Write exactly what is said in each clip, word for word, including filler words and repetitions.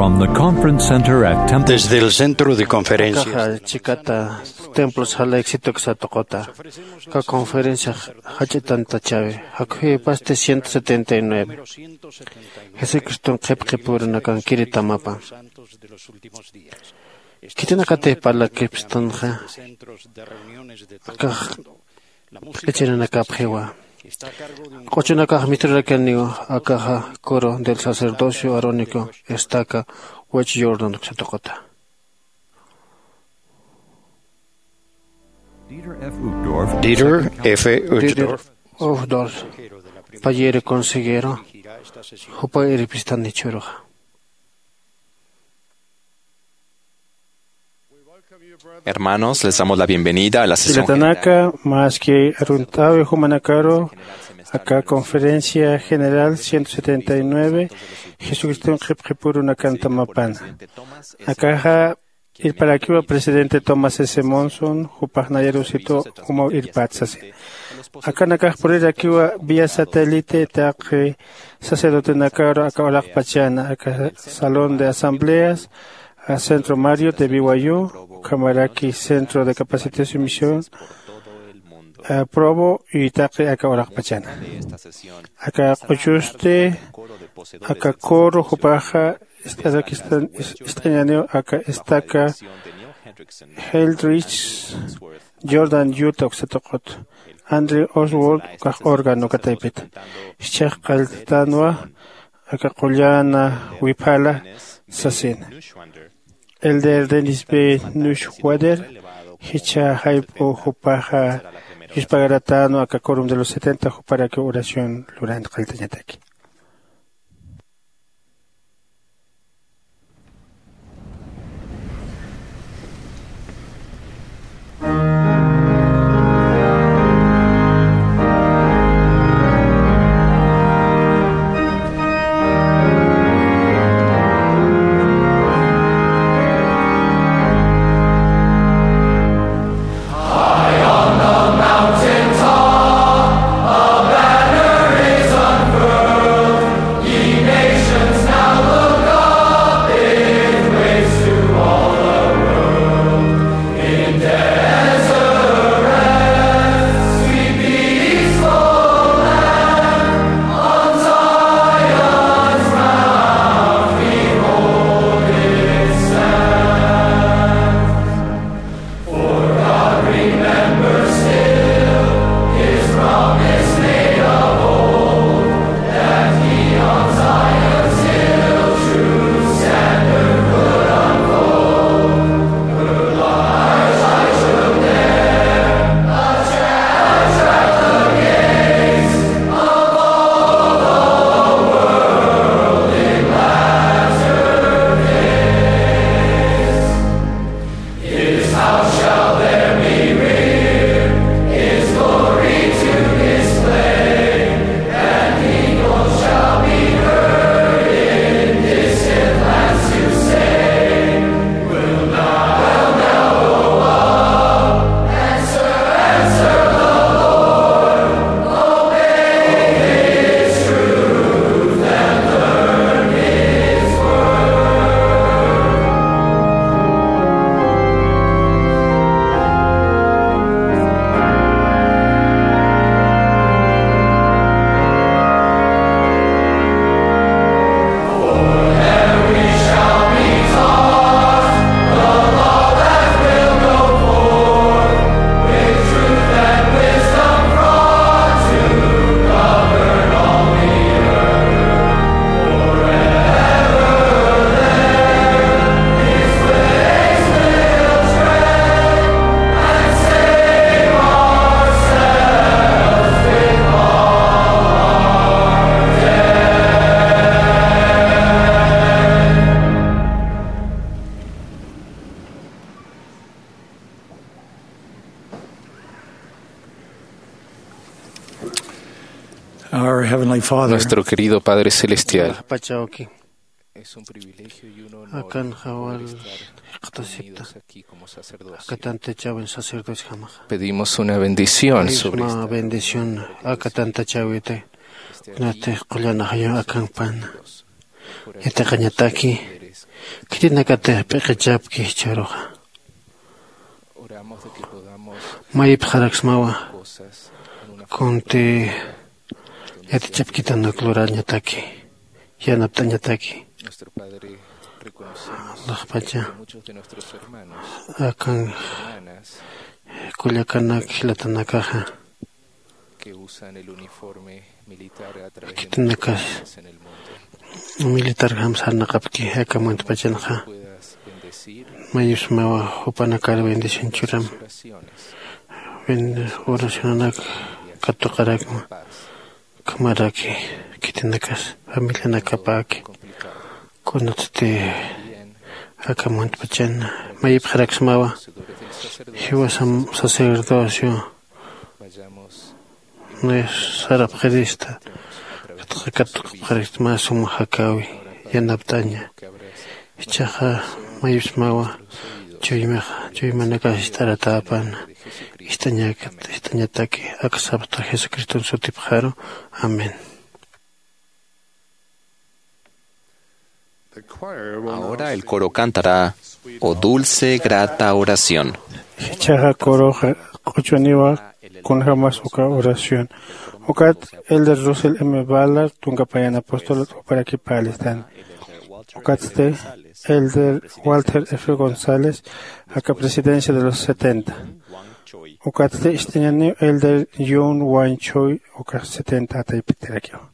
From the Conference Center at Temple. Desde el Centro de Conferencias. Akaxa chikata Templo Salt Lake City uksa tuquta. Aka conferencia jach'itantachäwi. Jakhuy pasti ciento setenta y nueve. Jesucriston qhipqipurunakankiri tamapan. Khitinakatix parlakipstanxa, akax q'ichirinakapxiwa. Q'uchunakax misturakaniw, akaxa coro del sacerdocio arónico estaca West Jordan uksa tuquta. Dieter F. Uchtdorf. Dieter F. Uchtdorf, payïr consejero, jupa irpistani jichhüruxa. Hermanos, les damos la bienvenida a la sesión general. Jilatanaka, maski arunt'äwi jumanakaru aka Conferencia General ciento setenta y nueve, Jesucriston qhipqipurunakan tamapana. Akaxa irparakiwa presidente Thomas S. Monson, jupax nayarusitu jumaw irpät sasin. Akanakax purirakiwa vía satélite taqi sacerdotenakaru aka uraqpachana, aka Salón de Asambleas, a Centro Marriott de B Y U, ukhamaraki Centro de Capacitación y Misión, a Provo, y taqi aka uraqpachana. Aka q'uchusti, aka coro jupaxa ist'arakistan, is-, ist'añäniw aka estaca Hildreth, Jordan, Utah uksa tuqut. Andrew Oswald ukax órgano uka taypit. Jichhax qallttanwa aka qullan wiphala sasina. Elder Dennis B. Neuschwander, jichha jayp'u jupaxa yuspagaratañäniw aka Quórum de los setenta juparaki oración lurani qalltañataki. Our Heavenly Father, nuestro querido Padre Celestial, Pachawki. Akan jawal jikxatasipta. Aka tantachawin sacerdote jamaxa. Pedimos una bendición sobre esta bendición aka tantachawita. Kunatix qullanaxayu akan pan yatiqañataki. khitinakatix p'iqichapki jichharuxa. Mayipxaraksmawa kunti yatichapkitanuk lurañataki, yanapt'añataki. Laxpacha akan kullakanak jilatanakaxa, khitinakas militarjam sarnaqapki aka muntpachanxa. Mayipxsmawa jupanakar bendición churam. Oracionanak katuqarakma. Ukhamaraki khitinakas familianakapäki. Kunatsti aka muntpachan mayipxaraksmawa, jiwasam sacerdocio sarapxirista, katuqapxirista mä suma jakäwi yanapt'aña. Jichhaxa mayipxsmawa, chuymaxa chuymanakas jist'aratäpana, jist'añakat jist'añataki aka Salvador Jesucriston sutipxaru. Amén. Ahora el coro cantará: "Oh dulce, grata oración". Jichhaxa coroxa q'uchuniwa kunjämas uka oración. Ukat Elder Russell M. Ballard, tunka payan apostolot, juparakipä listan. Ukatsti Elder Walter F. González, aka presidencia de los setenta. Ukatsti ist'añäniw Elder Young Wan Choi, uka setenta ataypitarakiw.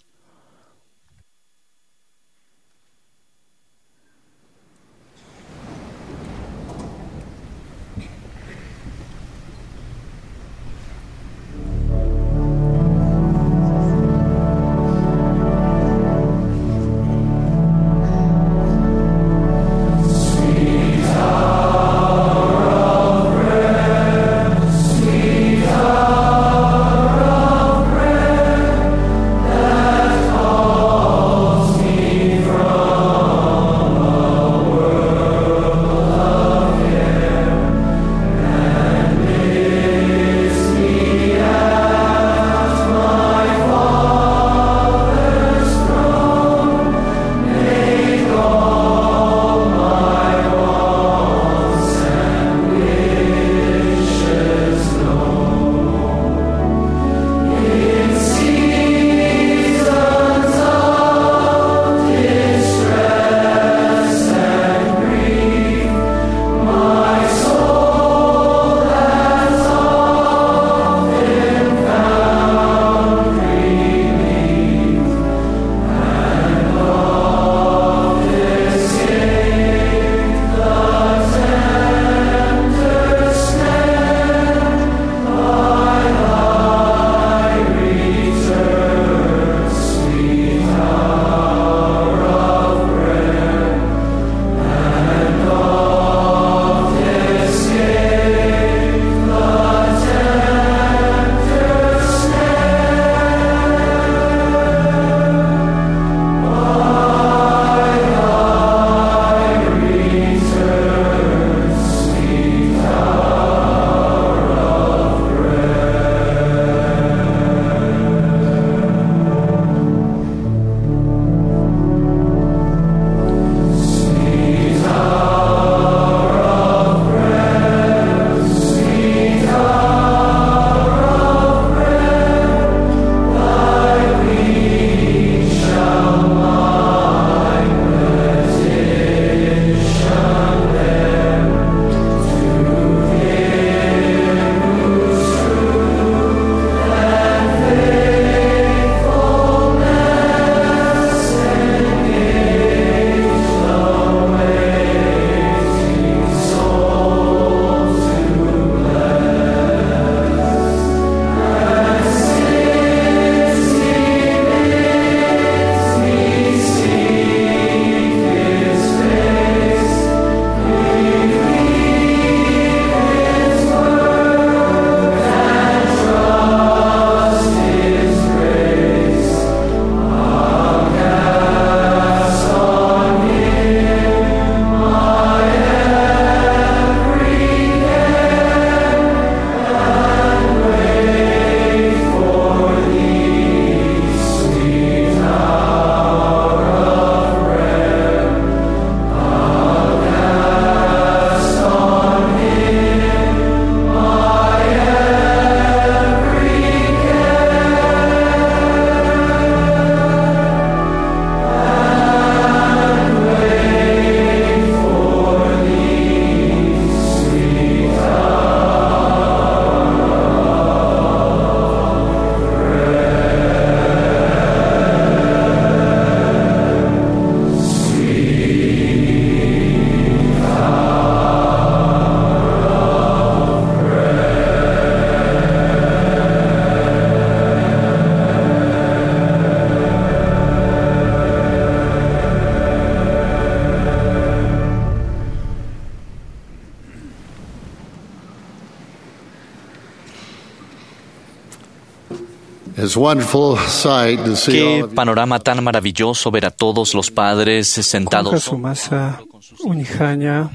It's a wonderful sight to see all Qué of you. Panorama tan maravilloso ver a todos los padres sentados. Kunja sumasa uñjaña,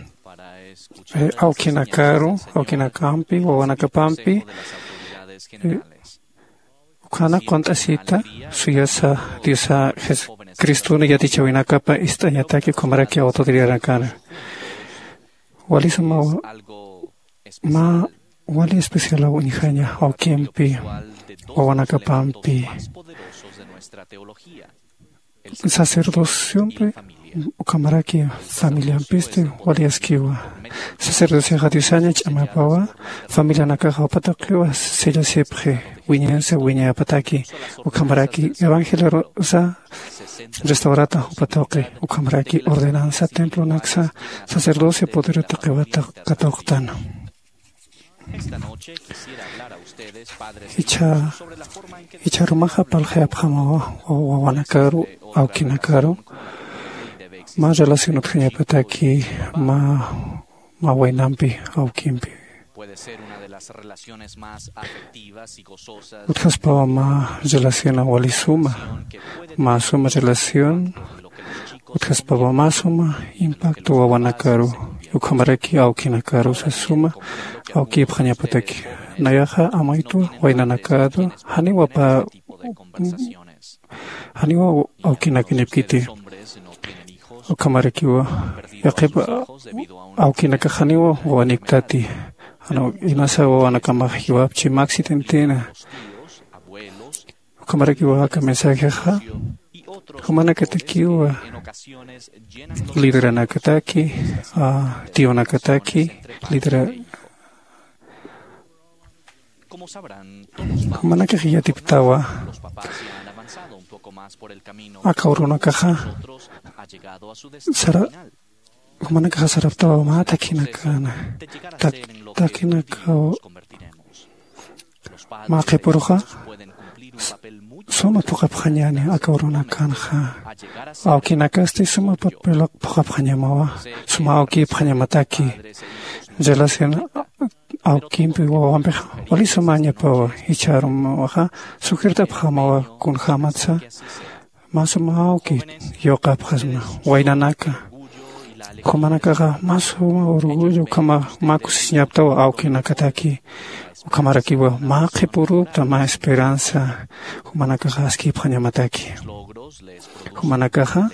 eh, awkinakaru, awkinakampi, wawanakapampi, eh, ukhana qunt'asita suyasa Diosa Jesucristona yatichawinakapa ist'añataki ukhamaraki autoridadkana. Wali suma, ma, wali especial uñjaña awkimpi, wawanakapampi. Sacerdociompi ukhamaraki familiampisti wali askiwa. Sacerdocioxa Diosaña ch'amapawa, familianakaxa jupa tuqiwa sellasipxi, wiñansa wiñapataki, ukhamaraki evangeliosa restaurata jupa tuqi, ukhamaraki ordenansa templonaksa sacerdocio poder tuqiwa katuqtan. Esta noche quisiera hablar a ustedes, padres e hijos, sobre la forma en que Icha, icha rumaxa parlxayapxamawa, wa-, wawanakaru, awkinakaru, ma relación utjañapataki, ma, ma waynampi, awkimpi. Puede ser una de las relaciones más afectivas y gozosas. Utjaspawa ma relación wali suma, ma suma relación, utjaspawa ma suma impacto wawanakaru, ukhamaraki awkinakaru sasuma, awkipxañapataki. Nayaxa amaytu waynanakatu, janiwa pa, janiwa awkinakañapkiti. Ukhamarakiwa, yaqhipa awkinakax janiwa wawanikitati. Janiw inasa wawanakamax jiwapchi, mä accidentina. Ukhamarakiwa aka mensajexa jumanakatakiwa lideranakataki, a, tiyunakataki, lidera-, jumanakax yatiptawa aka urunakaxa sara-, jumanakaxa saraptawa mä takhinakana, tak-, takhinakaw. Mä qhipuruxa s-, suma phuqhapxañäni aka urunakanxa. Awkinakasti suma papel phuqhapxañamawa, suma awkipxañamataki. Relación awkimpi wawampixa wali sumañapawa, jichharumaxa sugertapxamawa kunjämatsa mä suma awki yuqapxasma waynanaka. Jumanakaxa mä suma orgullo ukhama mä kusisiñaptawa awkinakataki. Ukhamarakiwa mä qhipurupta mä esperanza jumanakaxa askipxañamataki. Jumanakaxa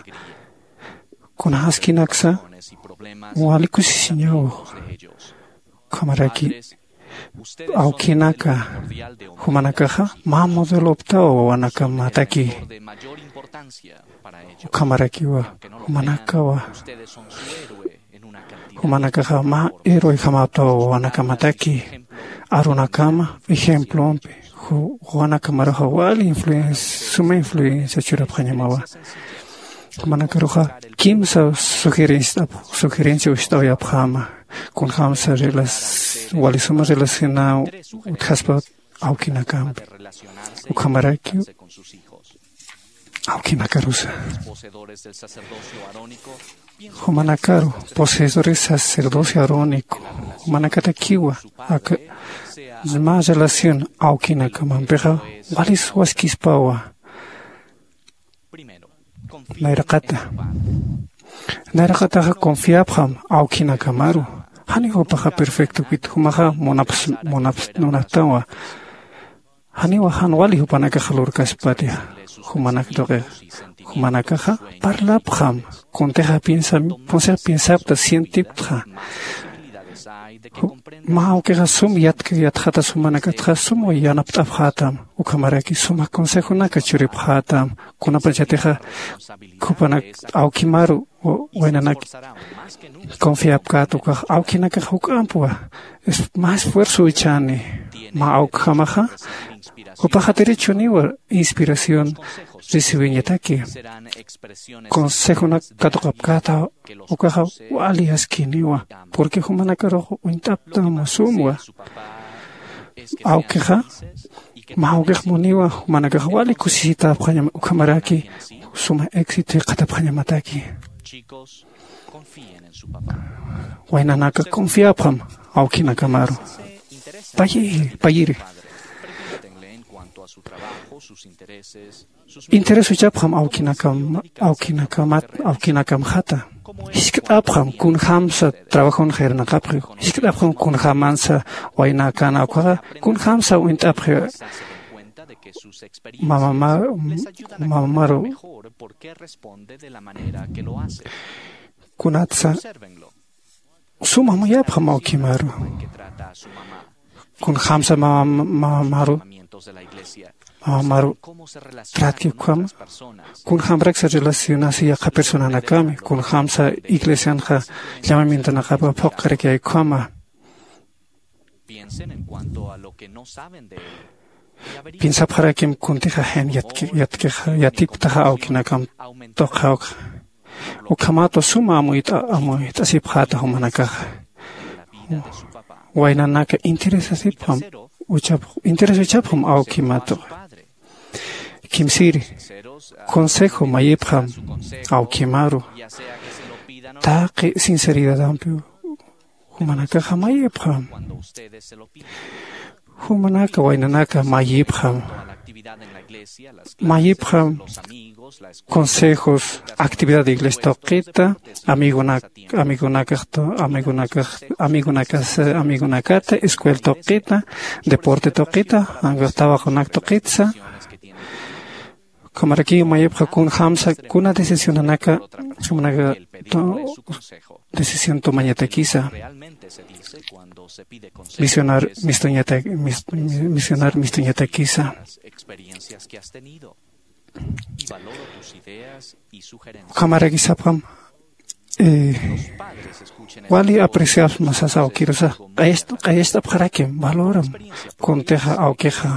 kuna askinaksa wali kusisiñaw. Ukhamaraki awkinaka, jumanakaxa mä modeloptawa wawanakamataki. Ukhamarakiwa jumanakawa, jumanakaxa mä héroejamaptawa wawanakamataki. Arunakama ejemplompi, ju-, wawanakamaruxa wali influencia, suma influencia churapxañamawa. Jumanakaruxa kimsa sugerencia, sugerencia ucht'awayapxama. Kunjamsa relas-, wali suma relacionaw utjaspa awkinakampi. Ukhamaraki awkinakarusa. Jumanakaru, poseedores sacerdocio arónico, jumanakatakiwa, aka, mä relación awkinakamampixa, wali suwaskispawa. Nayraqata. Nayraqataxa confiapxam awkinakamaru. Jani jupaxa perfectokit, jumaxa munaps-, munaps-, munaptawa. Janiwa jan wali jupanakax lurkaspati, jumanak tuqi, jumanakaxa parlapxam, kuntixa piensa, kuntixa piensapta, sientiptxa. Ju-, mä awkixa sum yatk-, yatxatas jumanakatxa sum yanapt'apxätam, ukhamaraki suma consejonaka churipxätam, kunapachatixa jupanak awkimaru wa-, waynanak confiapkät ukax awkinakax juk'ampwa, es-, mä esfuerzo ichhani, mä awkjamaxa, jupaxa derechoniwa inspiración recibiñataki. Consejonak katuqapkäta ukaxa wali askiniwa, porque jumanakarux uñt'aptam sumwa. Awkixa, mä awkix muniwa, jumanakax wali kusisitapxañam, ukhamaraki suma éxito jikxatapxañamataki. Waynanaka confiapxam awkinakamaru. Payi, payiri. Interés uchapxam awkinakam awkinakamat awkinakamxata. Jiskt'apxam kunjamsa trabajon jernaqapxi. Jiskt'apxam kunjamansa waynakan awkaxa kunjamsa uñt'apxi. Mamamaru kunatsa suma amuyapxam awkimaru. Kunjamsa mamamaru mamamaru tratki ukhama. Kunjamraksa relacionasi yaqha personanakami kunjamsa iglesianxa llamamientonakapa phuqkaraki ukhama. Piensapxarakim kuntixa jen yatkixa yatiptaxa awkinakam tuqjawkxa. Ukhamatwa suma amuyt'asipxata jumanakaxa. Waynanaka interesasipxam uchapxam awkimatuxa. Kimsiri consejo mayipxam awkimaru taqi sinceridadampi jumanakaxa mayipxam. Jumanaka waynanaka mayipxam mayipxam consejos actividad de iglesia tuqita amigonak amigonakaxta amigonakax amigonakas amigonakata escuela tuqita deporte tuqita tawaqunak tuqitsa. Ukhamarakiw mayipxa kunjamsa kuna decisionanaka jumanaka decisión tomañatakisa. Misionar mistuñata misionar mistuñatakisa. Ukhamarakisapham wali apreciasma sasa awkirusa. Q'ayast'apxarakim valoram kuntixa awkixa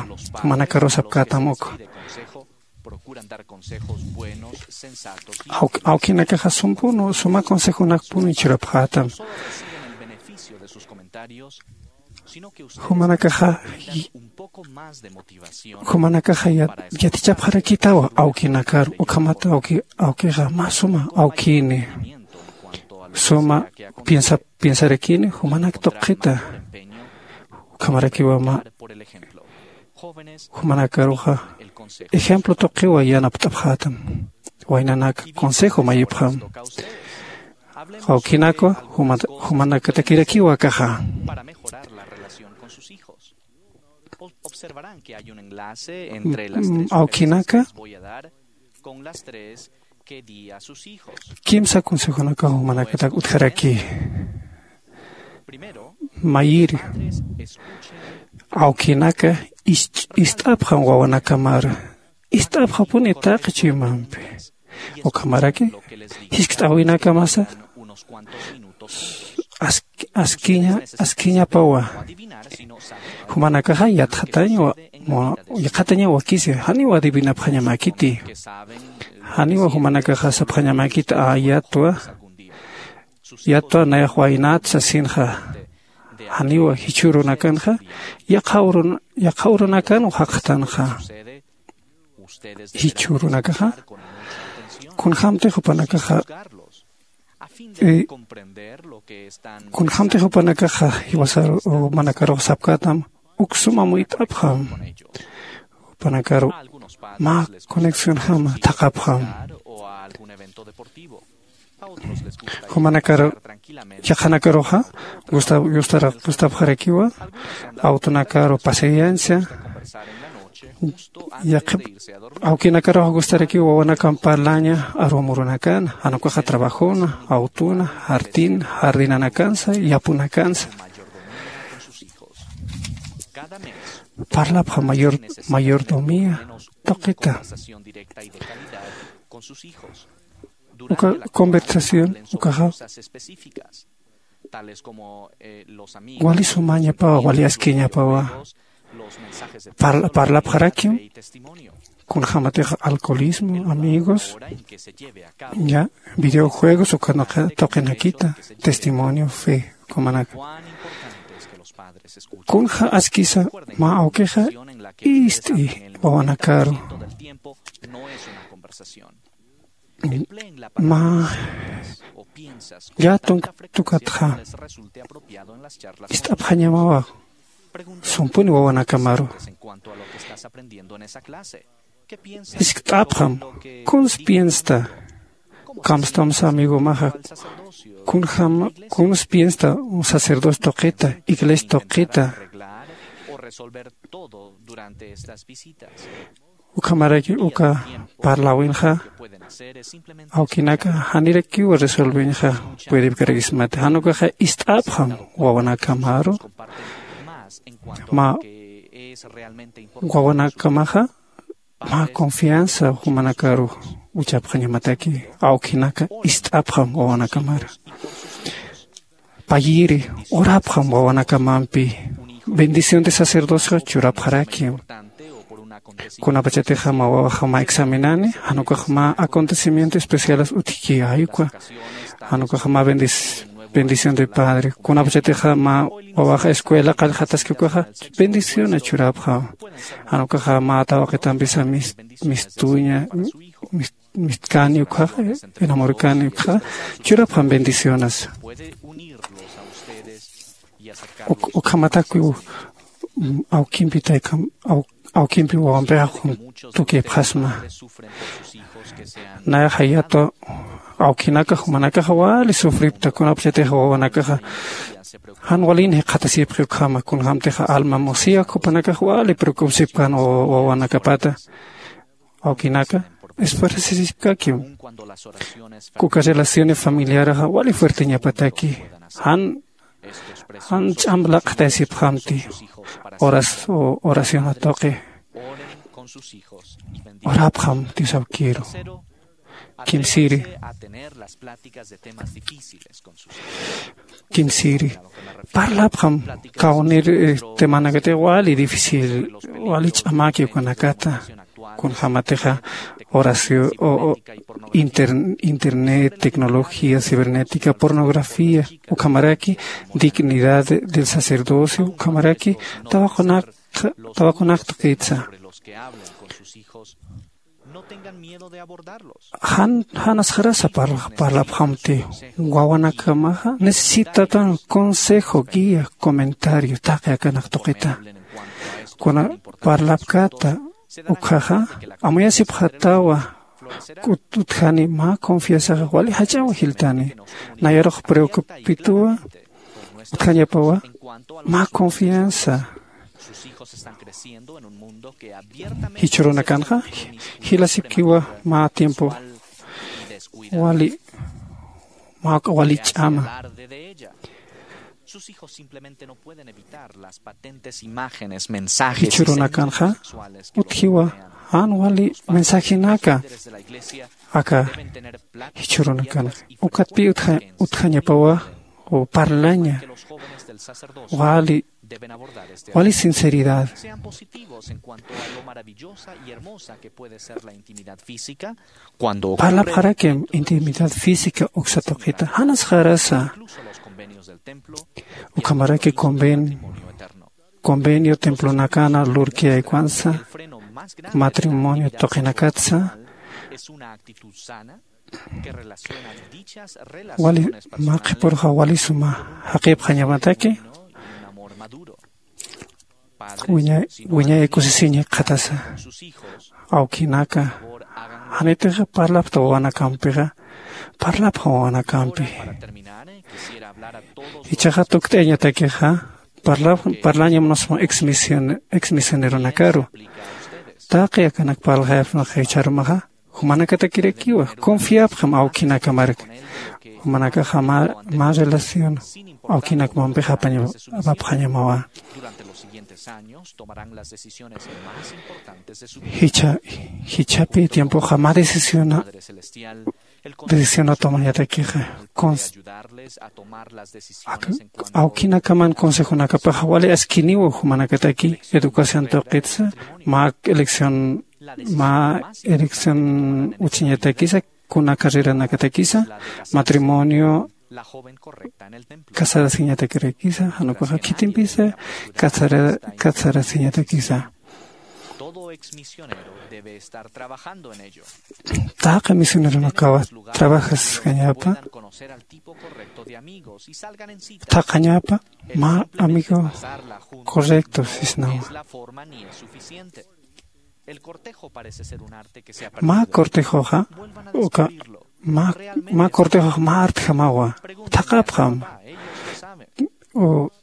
manakarusapkätam uk. Awkinakaxa sumpunu suma consejonakpunu churapxätam. Jumanakaxa jumanakaxa yatichapxarakitawa awkinakaru ukhamata awkixa mä suma awkini suma piensarakini jumanak tuqita. Ukhamarakiwa mä jumanakaruxa ejemplo tuqiwa yanapt'apxätam. Waynanaka consejo mayipxam. Awkinakwa jumanakatakirakiwa akaxa. Awkinaka kimsa consejonaka jumanakatak utjaraki. Mayiri awkinaka ist'apxam wawanakamar ist'apxapuni taqi chuymampi. Ukhamaraki jiskt'awinakamasa askiñapawa. Jumanakaxa yatxataña yatxataña wakisi janiw adivinapxañamäkiti. Janiw jumanakaxa sapxañamäkiti a yatwa yatwa nayax waynat sasinxa. Janiw jichhürunakanxa yaqha urunakanw jaqtanxa. Jichhürunakaxa kunjämtix jupanakaxa kunjämtix jupanakaxa jiwasar manakarux sapkätam. Uk suma muyt'apxam jupanakaru mä conexionjama thaqhapxam. Jumanakar yaqhanakaruxa gustapxarakiwa awtonakaru paciencia. Yaqhip awkinakaruxa gustarakiwa wawanakan parlaña arumurunakan jan ukaxa trabajona awtona jardin jardinanakansa yapunakansa. Parlapxa mayor mayordomía tuqita. Uka conversación ukaxa wali sumañapawa wali askiñapawa. Parlapxarakim kunjämatix alcoholismo amigos ya videojuegos ukanaka tuqinakita testimonio fe ukamanaka. Kunja askisa mä awkixa ist'i wawanakaru mä llätunk tukatxa ist'apxañamawa. sumpuni wawanakamaru. Jiskt'apxam, kuns piensta, kamstamsa amigomaxa, kunjam, kuns piensta sacerdote tuqita, iglesia tuqita. Ukhamaraki uka parlawinxa, awkinaka janirakiw resolviñxa, puedipkarakismati. Jan ukaxa ist'apxam wawanakamaru, mä wawanakamaxa mä confianza jumanakaru uchapxañamataki, awkinaka ist'apxam wawanakamara. Payiri, orapxam wawanakamampi, bendición de sacerdocio churapxaraki. Kunapachatixa mä wawaxa mä examinani, jan ukax mä acontecimiento especiales utjki ayukwa, jan ukax mä bendis bendición de padre. Kunapachatixa mä wawaxa escuela qallqataski ukaxa, bendición churapxa. Jan ukaxa mä tawaqitampisa mis mistuña, mis mistkani ukaxa, enamorkani ukaxa, churapxam bendicionas. Ukhamatakiw awkimpi taykam, awkimpi wawampixa juntukipxasma. Nayaxa yatu awkinaka jumanakaxa wali sufripta, kunapachatixa wawanakaxa jan walin jikxatasipxi ukhama, kunjamtixa alma musiak jupanakaxa wali preocupsipkan wawanakapata. Awkinaka esfuerzasipkakiw. Kuka relaciones familiaraxa wali fuerteñapataki. Jan jan ch'amp laq'tayasipxamti. Oración tuqi. Orapxam Dios awkiru. Kimsiri. Kimsiri, parlapxam kawnir temanakati wali difícil, wali ch'amaki ukanakata. Kunjamatixa oración, internet, tecnología cibernética, pornografía, ukhamaraki dignidad del sacerdocio, ukhamaraki tawaqunak tawaqunak tuqitsa. Jan janasxarasa parlapxamti. Wawanakamaxa necesitatan consejo, guía, comentario taqi akanak tuqita. Kuna parlapkata ukhaxa amuyasipxatawa. Utjani mä confianzaxa wali jach'aw jiltani. Nayarux preocupituwa utjañapawa mä confianza. Jichhurunakanxa jilasipkiwa mä tiempo wali mä wali ch'ama. Jichhurunakanxa utjiwa jan wali mensajenaka aka jichhurunakanxa. Ukatpi utjañapawa parlaña wali wali sinceridad. Parlapxarakim intimidad física uksa tuqita janasxarasa. Ukhamaraki convenio convenio templonakana lurkiyaykuwansa matrimonio tuqinakatsa. Wali mä qhipürxa wali suma jaqipxañamataki. Wiñay kusisiñi qhatasa awkinaka janitixa parlapxta wawanakampixa. Parlapxa wawanakampi. Ichaxa tukt'ayañatakixa parlañam nusma exmisioneronakaru taqi akanak parlxayapxnaxa jichharumaxa. Jumanakatakirakiwa confiapxam awkinakamarka. Jumanakaxa mä relación awkinakmampix apapxañamawa. Jichhapi tiempoxa mä decisiona decisionat tomañatakixa. Awkinakaman consejonakapaxa wali askiniwa jumanakataki educación tuqitsa mä elección mä elección uchiñatakisa kuna carreranakatakisa matrimonio casarasiñatakirakisa janukaxa khitimpisa casarasiñatakisa. Taqi misioneronakawa trabajaskañapa, taqañapa mä amigo correcto sisnawa. Mä cortejoxa uka mä cortejox mä artjamawa. Thaqapxam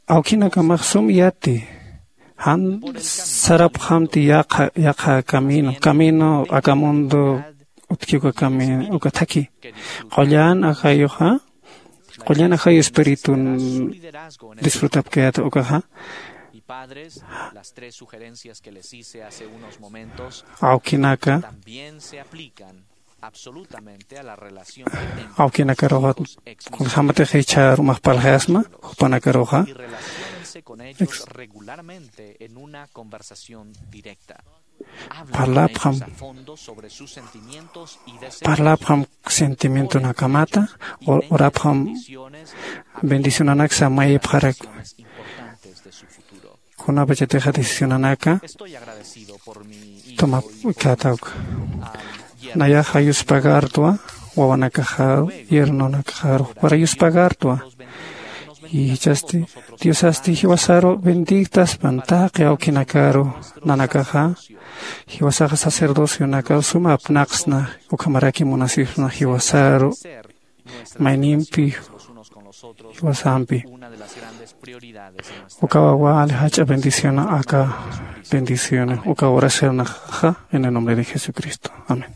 awkinakamax sum yati jan sarapxamti yaqha yaqha camino camino aka mundo utki uka camino uka thaki qullan ajayuxa qullan ajayu espiritun disfrutapkayata ukaxa. Awkinaka awkinakaruxa kunjämatix jichhärumax parlxayasma jupanakaruxa. Parlapxam parlapxam sentimientonakamata urapxam bendicionanaksa mayipxaraku. Kunapachatixa decisionanaka tumapkatawka nayaxa yuspagartwa wawanakaxaru yernonakaxaru para yuspagartwa. Ichasti diosasti jiwasaru bendiktaspan taqi awkinakaru nanakaxa jiwasaxa sacerdocionakaw suma apnaqsna ukhamaraki munasipsna jiwasaru maynimpi jiwasampi. Ukawa wali jach'a bendiciona aka bendiciona ukawa oracionaxa en el nombre de jesucristo. Amén.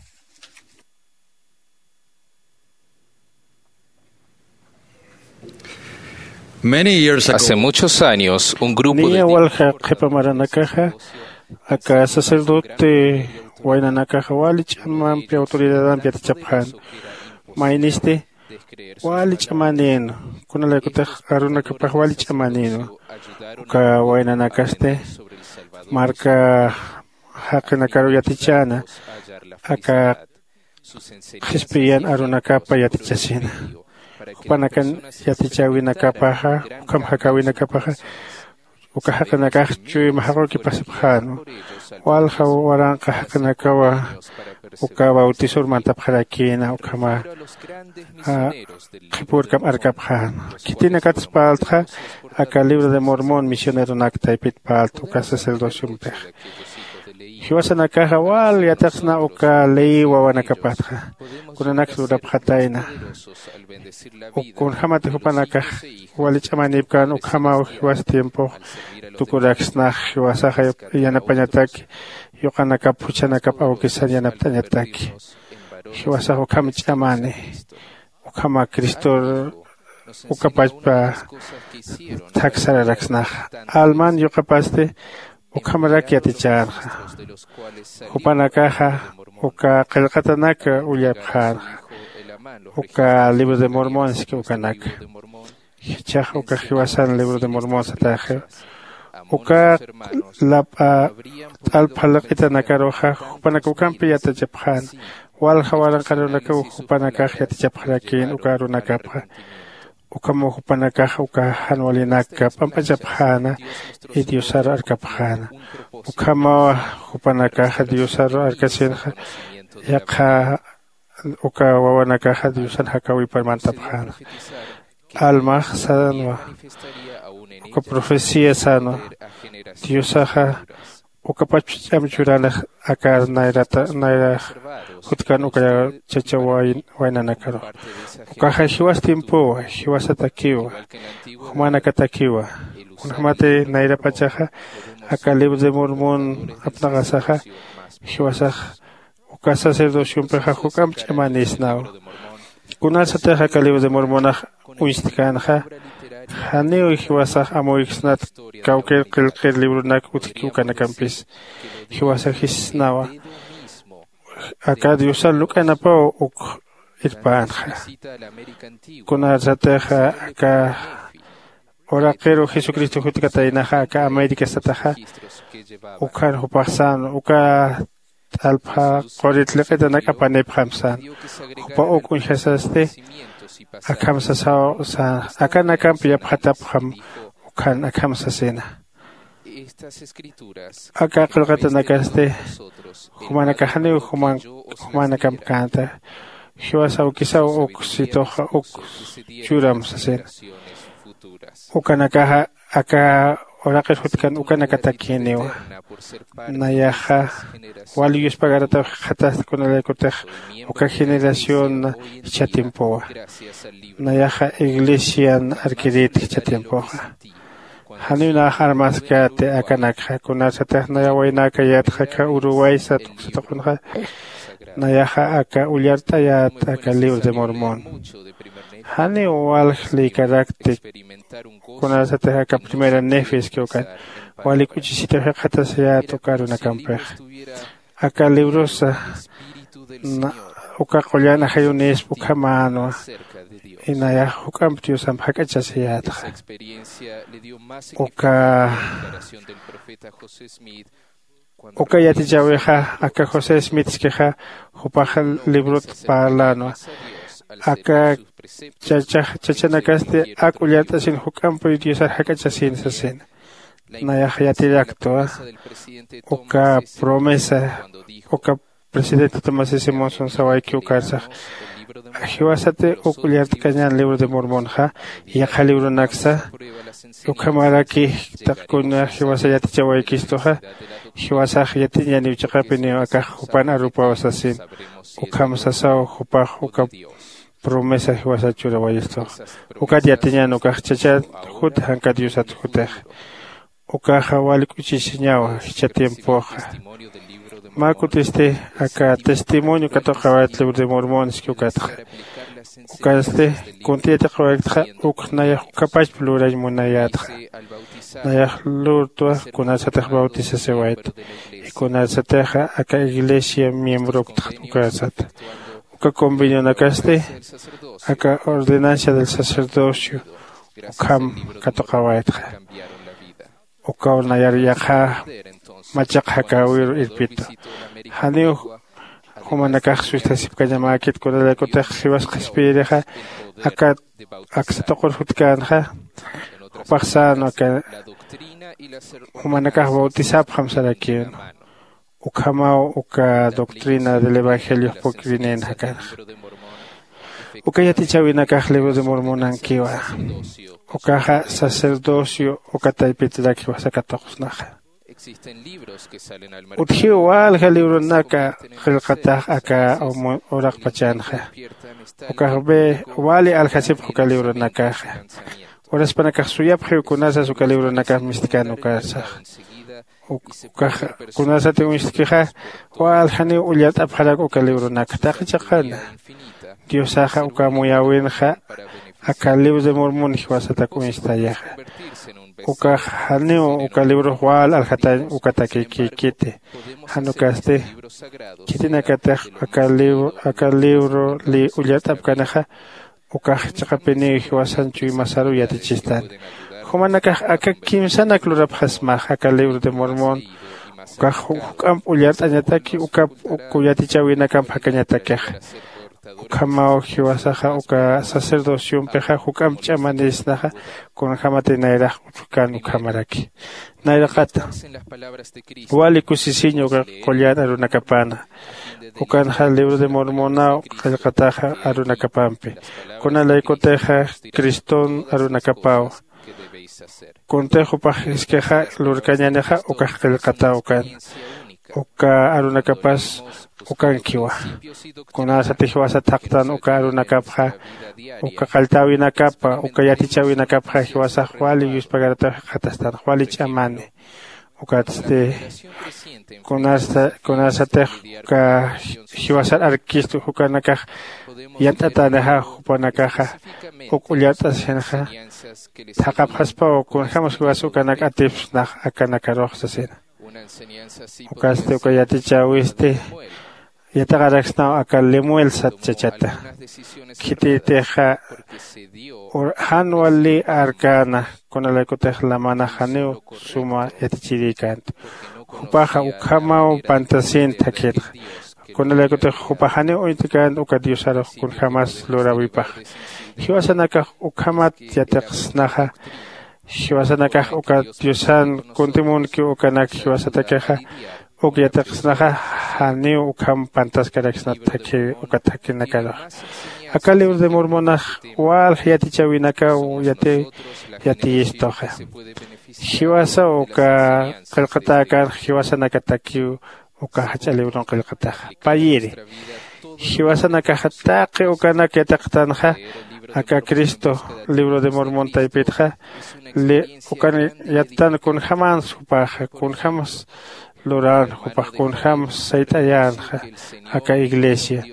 Hace muchos años un grupo de niya walja qhipa maranakaxa aka sacerdote waynanakaxa wali ch'amampi autoridadampi yatichapxän. Maynisti wali ch'amanin kunalaykutix arunakapax wali ch'amanin uka waynanakasti marka jaqinakaru yatichäna aka qhispiyan arunakapa yatichasina. Jupanakan yatichäwinakapaxa ukham jakäwinakapaxa uka jaqinakax chuyma jaqukipasipxänwa. Walja waranqa jaqinakawa uka bautisor mantapxarakïna ukhama qhipürkam arkapxäna. Khitinakatspaltxa aka libro de mormón misioneronak taypitpalt uka sacerdociompixa jiwasanakaxa wal yatiqsna uka ley wawanakapatxa kunanaks lurapxatayna. Kunjämati jupanakax wali ch'amanïpkän ukhamaw jiwas tiempox tukuraksnax jiwasaxa yanapañataki yuqanakap juchanakap awkisan yanapt'añataki. Jiwasax ukham ch'amani ukhama cristor ukapachpa thak sararaksnaxa alman yuqapasti ukhamarak yatichänxa. Jupanakaxa uka qillqatanak ullapxänxa uka libro de mormón siski ukanaka. Jichhax uka jiwasan libro de mormón sataxiw uka lap'a t'alpja liq'itanakaruxa jupanak ukampi yatichapxäna. Walja waranqarunakaw jupanakax yatichapxarakïn uka arunakapxa ukhamaw jupanakax uka jan walinak p'amp'achapxäna y diosar arkapxäna. Ukhamaw jupanakax diosar arkasinxa yaqha uka wawanakaxa diosan jakäwipar mantapxäna. Almax sänwa uka profecía sänwa diosaxa ukapach ch'am churanix akar nayrata nayrax jutkan uka chacha waynanakaru. Ukaxa jiwas tiempowa jiwasatakiwa jumanakatakiwa. Kunjämati nayrapachaxa aka libro de mormón apnaqasaxa jiwasax uka sacerdociompixa juk'amp ch'amanisnaw. Kunasatix aka libro de mormonax uñstkänxa janiw jiwasax amuyksnat kawkir qillqir libronak utjki ukanakampis jiwasax jisnawa aka diosar luk'anapaw uk irpänxa. Kunasatix aka uraqiru jesucristo jutkataynaxa aka américa sataxa ukhan jupax sän uka t'alpja qurit liq'itanak apanipxam sän. Jupa uk uñjasasti akham sasaw sän akanakamp yapxatapxam ukhan akham sasina. Aka qillqatanakasti jumanakax janiw juman jumanakampkänta. Jiwasaw kisaw uk situxa uk churam sasina. Ukanakaxa aka uraqir jutkan ukanakatakïniwa. Nayaxa wali yuspagarataw jikxatasti kunalaykutix uka generación jichha tiempowa. Nayaxa iglesian arkirït jichha tiempoxa. Janiw nax armaskäti akanakxa kunasatix naya waynäkayätxa aka uruway sat uksatuqunxa. Nayaxa aka ullart'ayät aka libro de mormón. Janiw walj lïkarakti kunasatix aka primera nefiski ukan wali k'uchisitaw jikxatasayät uka arunakampix. Aka librosa uka qullan ajayunïspa ukhamänwa. Inayax juk'amp diosamp jak'achasayätxa. Uka uka yatichäwixa aka josé smitskixa jupax librot parlänwa. Aka chachax chachanakasti ak ullart'asin juk'ampuy diosar jak'achasin sasina. Nayax yatiraktwa uka promesa uka presidente tomás simón sonsawayki ukarsax. Jiwasati uk ullart'kañan libro de mormonxa yaqha libronaksa ukhamaraki taqkuna jiwasa yatichawaykistuxa. Jiwasax yatiñaniw chiqapiniw akax jupan arupaw sasin. Ukham sasaw jupax uka promesa jiwasa churawayistuxa. Ukat yatiñan ukax chachat jut jankat diosat jutix. Ukaxa wali k'uchisiñawa jichha tiempoxa. Mä kutisti aka testimonio katuqawayt libro de mormón iski ukatxa. Ukasti kuntï yatiqawayktxa uk nayax ukhapachp lurañ munayätxa. Nayax lurtwa kunasatix bautisasiwayt. Kunasatixa aka iglesia miembroktxa ukasat. Uka convenionakasti aka ordenancia del sacerdocio ukham katuqawaytxa. Ukaw nayar yaqha machaq jakäwiru irpitu. Janiw jumanakax sustasipkañamäkit kunalaykutix jiwas qhispiyirixa aka aksa tuqur jutkänxa. Jupax sänwa aka jumanakax bautisapxam sarakïnwa. Ukhamaw uka doctrina del evangelio pukrinïn jakanxa. Uka yatichäwinakax libro de mormonankiwa. Ukaxa sacerdocio uka taypitirak jiwasa katuqsnaxa. Utjiw walja libronaka qillqatax aka uraqpachanxa. Ukax ve wali aljasipx uka libronakaxa. Uraspanakax suyapxiw kunasas uka libronakax mistkan ukarsax. Ukax kunasati uñstkixa waljaniw ullart'apxarak uka libronaka taqi chiqana. Diosaxa uka muyäwinxa aka libro de mormón jiwasatak uñstayaxa. Ukax janiw uka librox wal aljatañ ukatakikïkiti. Jan ukasti khitinakatix aka libro aka libro ullart'apkanixa ukax chiqapiniw jiwasan chuymasaruw yatichistan. Jumanakax aka kimsanak lurapxasmax aka libro de mormón. Ukax juk'amp ullart'añataki ukap uk yatichäwinakamp jakañatakixa. Ukhamaw jiwasaxa uka sacerdociompixa juk'amp ch'amanisnaxa. Kunjämati nayrax utjkan ukhamaraki nayraqata. Wali kusisiña uka qullan arunakapana. Ukanxa libro de mormonaw qillqataxa arunakapampi. Kuna laykutixa criston arunakapawa. Kuntix jupax iskixa lurkañänixa ukax qillqataw ukan. Uka arunakapas ukankiwa. Kunasatix jiwasat thaqtan uka arunakapxa uka qalltäwinakapa uka yatichäwinakapxa jiwasax wali yuspagarataw jikxatastan wali ch'amani. Ukatsti kunasatix uka jiwasar arkistu jukanakax yant'atänixa jupanakaxa uk ullart'asinxa. Thaqhapxaspaw kunjämas jiwas ukanak atipsnax akanakarux sasina. Ukasti uka yatichäwisti yatiqaraksnaw aka lemuel sat chachata. Khititixa jan wali arkäna kunalaykutix lamanax janiw suma yatichirïkänti. Jupaxa ukhamaw pantasïnti thakhinxa. Kunalaykutix jupax janiw uñtkänti uka diosarux kunjämas luräwipaxa. Jiwasanakax ukhamat yatiqsnaxa. Jiwasanakax uka diosan kuntimunkiw ukanak jiwasatakixa uk yatiqsnaxa, janiw ukham pantaskaraksnat thakhi uka thakhinakaruxa. Aka libro de mormonax walja yatichäwinakaw yati yatiyistuxa. Jiwasa uka qillqatäkänxa jiwasanakatakiw uka jach'a librun qillqataxa payiri. Jiwasanakaxa taqi ukanak yatiqtanxa aka cristo libro de mormon taypitxa ukan yattan kunjämans jupaxa kunjäms lurän jupax kunjäms sayt'ayänxa aka iglesia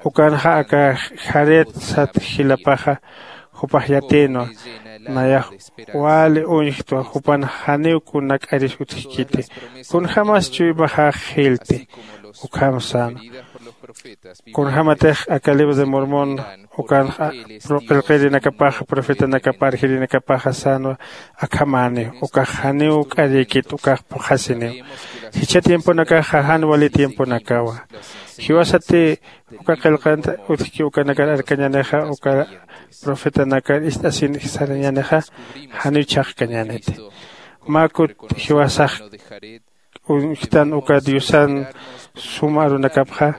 ukanxa aka jaret sat jilapaxa jupax yatïnwa. Nayax wali uñjtwa jupan janiw kunak'aris utjkiti kunjämas chuymaxax jilti. Ukham sänwa kunjämatix aka libro de mormon ukanxa qillqirinakapaxa profetanakapa arjirinakapaxa sänwa akhamäniw ukax janiw k'arïkit ukax phuqhasiniw. Jichha tiemponakaxa jan wali tiemponakawa. Jiwasati uka qillqant utjki ukanakar arkañänixa uka profetanakar ist'asin sarañänixa janiw chhaqkañäniti. Mä kut jiwasax uñjtan uka diosan sum arunakapxa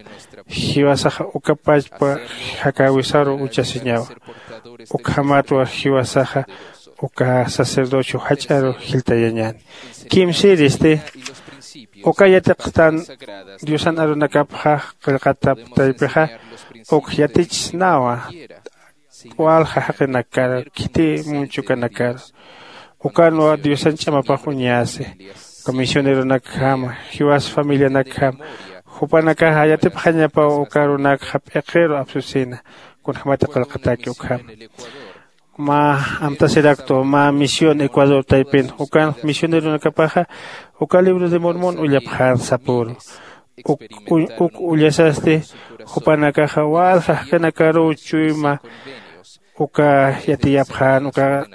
jiwasaxa uka pachpa jakäwisaru uchasiñawa. Ukhamatwa jiwasaxa uka sacerdocio jach'aru jiltayañäni. Kimsïristi uka yatiqtan diosan arunakapxa qillqatap taypixa uk yatichsnawa walja jaqinakar khiti munchukanakar ukanwa diosan ch'amapax uñasi. Uka misioneronakjam jiwas familianakjam jupanakaxa yatipxañapaw uka arunakxa p'iqiru apsusina kunjämati qillqatäki ukham. Mä amtasiraktwa mä misión ecuador taypin ukan misioneronakapaxa uka libro de mormon ullapxän sapüru. Uk ullasasti jupanakaxa walja jaqinakaruw chuyma uka yatiyapxän uka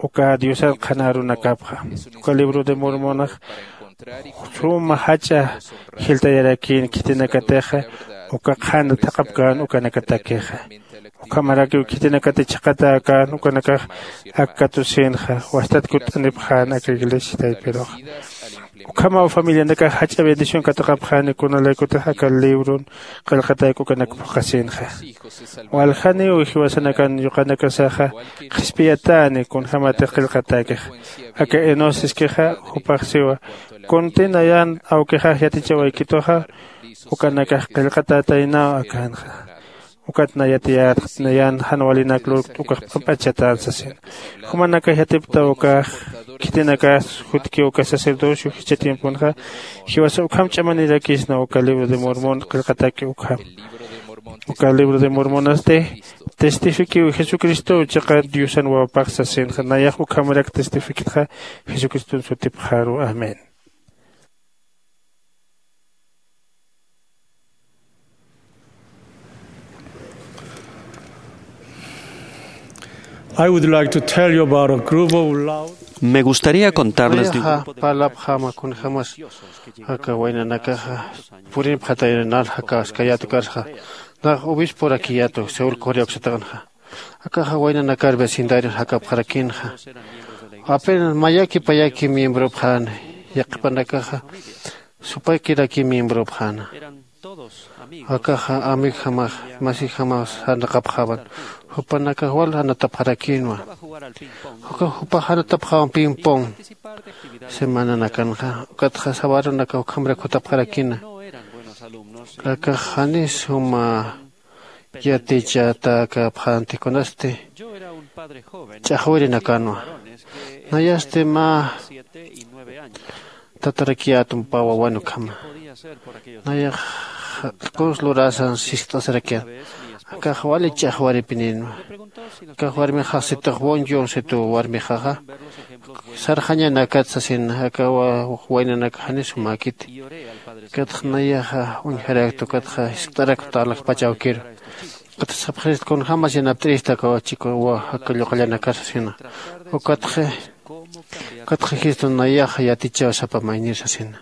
uka diosan qhanarunakapxa uka libro de mormonax suma jach'a jiltayarakïn khitinakatixa uka qhana thaqhapkän ukanakatakixa. Ukhamarakiw khitinakati chhaqhatäkän ukanakax ak katusinxa wastat kutt'anipxän aka iglesia taypiruxa. Ukhamaw familianakax jach'a bendición katuqapxäni kunalaykutix aka libron qillqatayku ukanak phuqhasïnxa. Waljaniw jiwasanakan yuqanakasaxa qhispiyatäni kunjämatix qillqatäkixa. Aka enosiskixa jupax siwa kunti nayan awkixax yatichawaykituxa ukanakax qillqatätaynaw akänxa. Ukat nayatiyät nayan jan walinak lurkt ukax p'amp'achchatän sasina. Jumanakax yatiptaw ukax khitinakas jutkiw uka sacerdocio jichha tiemponxa jiwasa ukham ch'amanirakisna uka libro de mormon qillqataki ukham. Uka libro de mormonasti testifikiw jesucristow chiqa diosan wawapax sasinxa nayax ukhamarak testifikitxa jesucriston sutipxaru. Amén. I would like to tell you about a group of loud. Me gustaría contarles de un grupo de parlapxama kunjämas aka waynanakaxa purinpxataynal jakaskayätukarxa. Nax obisporakiyätu seul correoksataqanxa. Akaxa waynanakar vecindario jakapxarakïnxa. Apenas mayaki payaki miembropxän yaqhipanakaxa supakiraki miembropxäna. Akaxa amigojamax masijamax sarnaqapxawan. Jupanakax wal anatapxarakïnwa. Ukax jupax anatapxawan pimpon semananakanxa ukatxa sawarunakax ukhamrak jutapxarakïna. Akax janis juma yatichatäkäpxänti kunasti ch'axwirinakanwa. Nayasti mä tatarakiyätumpa wawan ukhama. Nayax q'us lurasan sist'asirakian. Akax wali ch'axwaripinïnwa. Akax warmixax situx won yonsitu warmixaxa sarxañanakat sasin aka waynanaka janis jumäkiti. Ukatxa nayaxa uñjarakta ukatxa jiskt'arakta alaxpach awkiru. Ukatxa sapxirista kunjämas yanapt'irista aka wachik aka lluqallanakar sasina. Ukatxa ukatxa jistu nayaxa yatichaw sapa maynir sasina.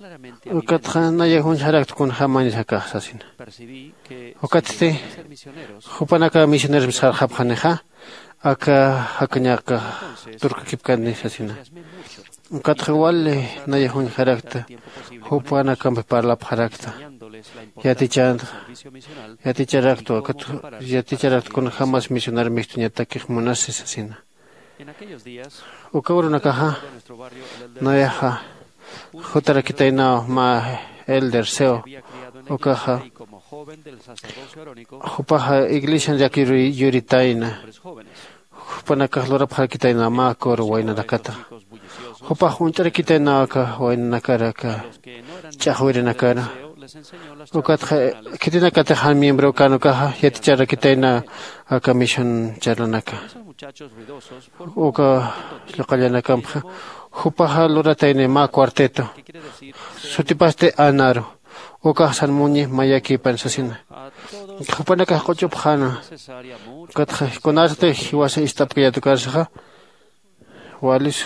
Ukatxa nayax uñjarakta kunjämanis akax sasina. Ukatsti jupanakax misioneros sarxapxanixa aka jakañaqa turkakipkani sasina. Ukatxa wali nayax uñjarakta jupanakampi parlapxarakta yatichanta yaticharaktwa ukat yaticharaktwa kunjämas misionar mistuñatakix munasi sasina. Uka urunakaxa nayaxa jutarakitaynaw mä elder seo ukaxa jupaxa iglesian llakiru yuritayna jupanakax lurapxarakitaynaw mä coro waynanakata jupax uñt'arakitaynaw aka waynanakar aka ch'axwirinakara. Ukatxa khitinakatix jan miembro kän ukaxa yaticharakitayna aka misión charlanaka uka lluqallanakampxa jupaxa luratayni mä cuarteto sutipasti anaru ukax san muñi mayakipan sasina. Jupanakax q'uchupxäna ukatxa kunarsti jiwasa ist'apkayät ukarsaxa walis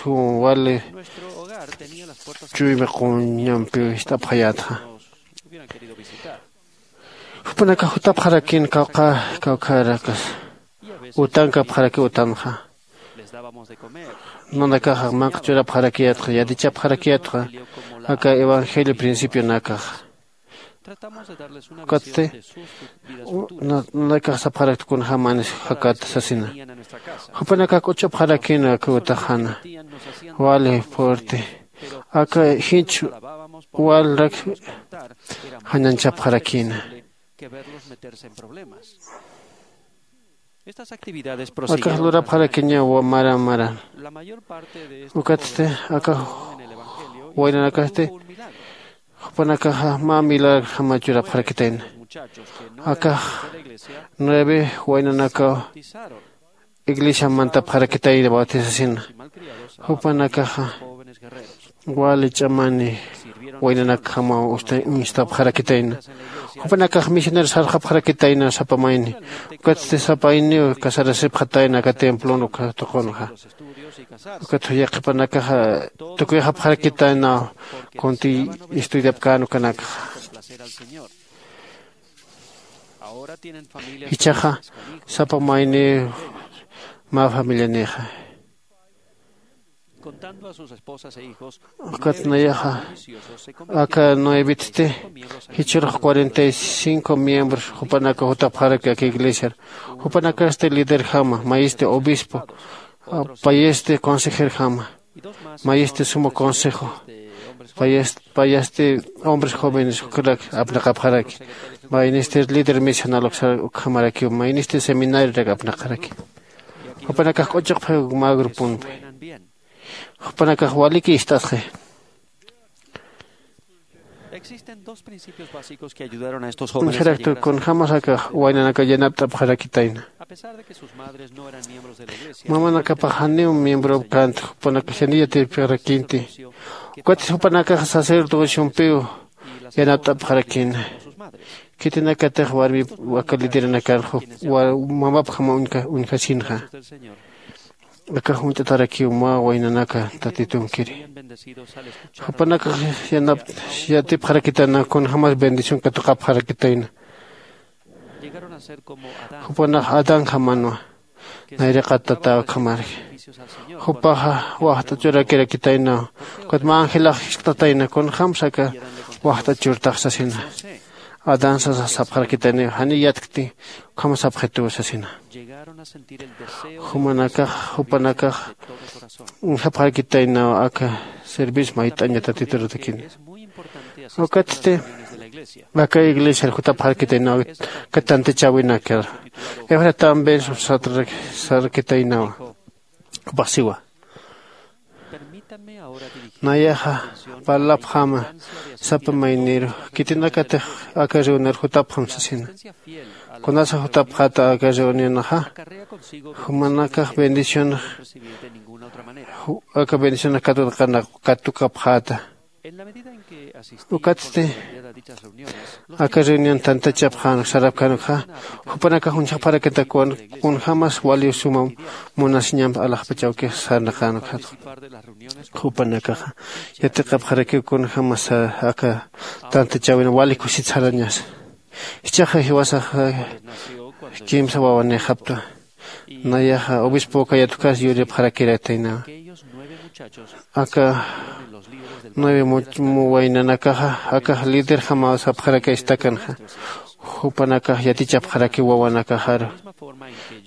wali chuymi quñampiw ist'apxayätxa. Jupanakax jutapxarakïn kawkhä kawkhärakas utankapxaraki utanxa nanakaxa manq'a churapxarakiyätxa yatichapxarakiyätxa aka evangelio principionakaxa. Ukatsti nanakax sapxarakta kunjämanis jakata sasina. Jupanakax k'uchupxarakïna aka utaxana wali fuerte aka jinch walrak jañanchapxarakïna. Akax lurapxarakiñaw mara mara ukatsti akax waynanakasti jupanakaxa mä milagr jama churapxarakitayna. Akax nueve waynanakaw iglesiam mantapxarakitayna bautisasina jupanakaxa wali ch'amani waynanakjamaw uñstapxarakitayna. Jupanakax misionero sarxapxarakitayna sapa mayni ukatsti sapa mayniw casarasipxatayna aka templon uka tuqunxa. Ukat yaqhipanakaxa tukuyxapxarakitaynaw kunti estudiapkän ukanakxa. Jichhaxa sapa mayniw mä familianixa ukat nayaxa aka nuevitsti jichhürux cuarenta y cinco miembros jupanakax jutapxaraki aka iglesiar. Jupanakasti liderjama mayisti obispo payisti consejerjama mayisti suma consejo payasti hombres jóvenes ukrak apnaqapxaraki maynisti líder misional uksar ukhamarakiw maynisti seminariorak apnaqaraki. Jupanakax k'uchuqpxi mä gruponpi jupanakax waliki ist'asxi. Existen dos principios básicos que ayudaron a estos jóvenes a llegar a ser. Uñjarakta kunjämas akax waynanakaw yanapt'apxarakitayna. A pesar de que sus madres no eran miembros de la iglesia, mamanakapax janiw miembro känti jupanakax janiw yatipxarakïnti. Ukatsti jupanakax sacerdociompiw yanapt'apxarakïna. Khitinakatix warmip aka lideranakar mamapjama uñjasinxa akax uñt'atarakiw mä waynanaka tatitunkiri. Jupanakax yanapt'apxarakitayna kunjämas bendición katuqapxarakitayna. Jupanax adanjamanwa nayriqat tata ukhamarki. Jupaxa waxt'a churakirakitaynaw ukat mä angelax jisk'tatayna kunjämsa aka waxt'a churtax sasina. Adán sasa sapxarakitaynaw janiy yatkti ukham sapxituw sasina. Jumanakax jupanakax uñjapxarakitaynaw aka servicio mayt'aña tatiturutakini. Ukatsti aka iglesiar jutapxarakitaynaw aka tantichäwinakar efratam ben sarkitaynawa. Jupax siwa nayaxa parlapxäma sapa mayniru khitinakatix aka reunir jutapxam sasina. Kunasa jutapxäta aka reunionxa jumanakax bendicionax aka bendicionax katuqapxäta. Ukatsti aka reunión tantachapxänuk sarapkänukxa, jupanakax uñjapxarakitakiwan kunjämas wali suma munasiñamp alaxpach awkix sarnaqänukxatxa. Jupanakaxa yatiqapxarakiw kunjämas aka tantachäwin wali kusit sarañasa. Jichhaxa jiwasaxa kimsa wawanïxapta. Nayaxa obispo ukayat ukas yuripxarakiraytaynawa. Aka nueve mu- mu waynanakaxa akax liderjamaw sapxarakay istakanxa. Jupanakax yatichapxarakiw wawanakaxaru.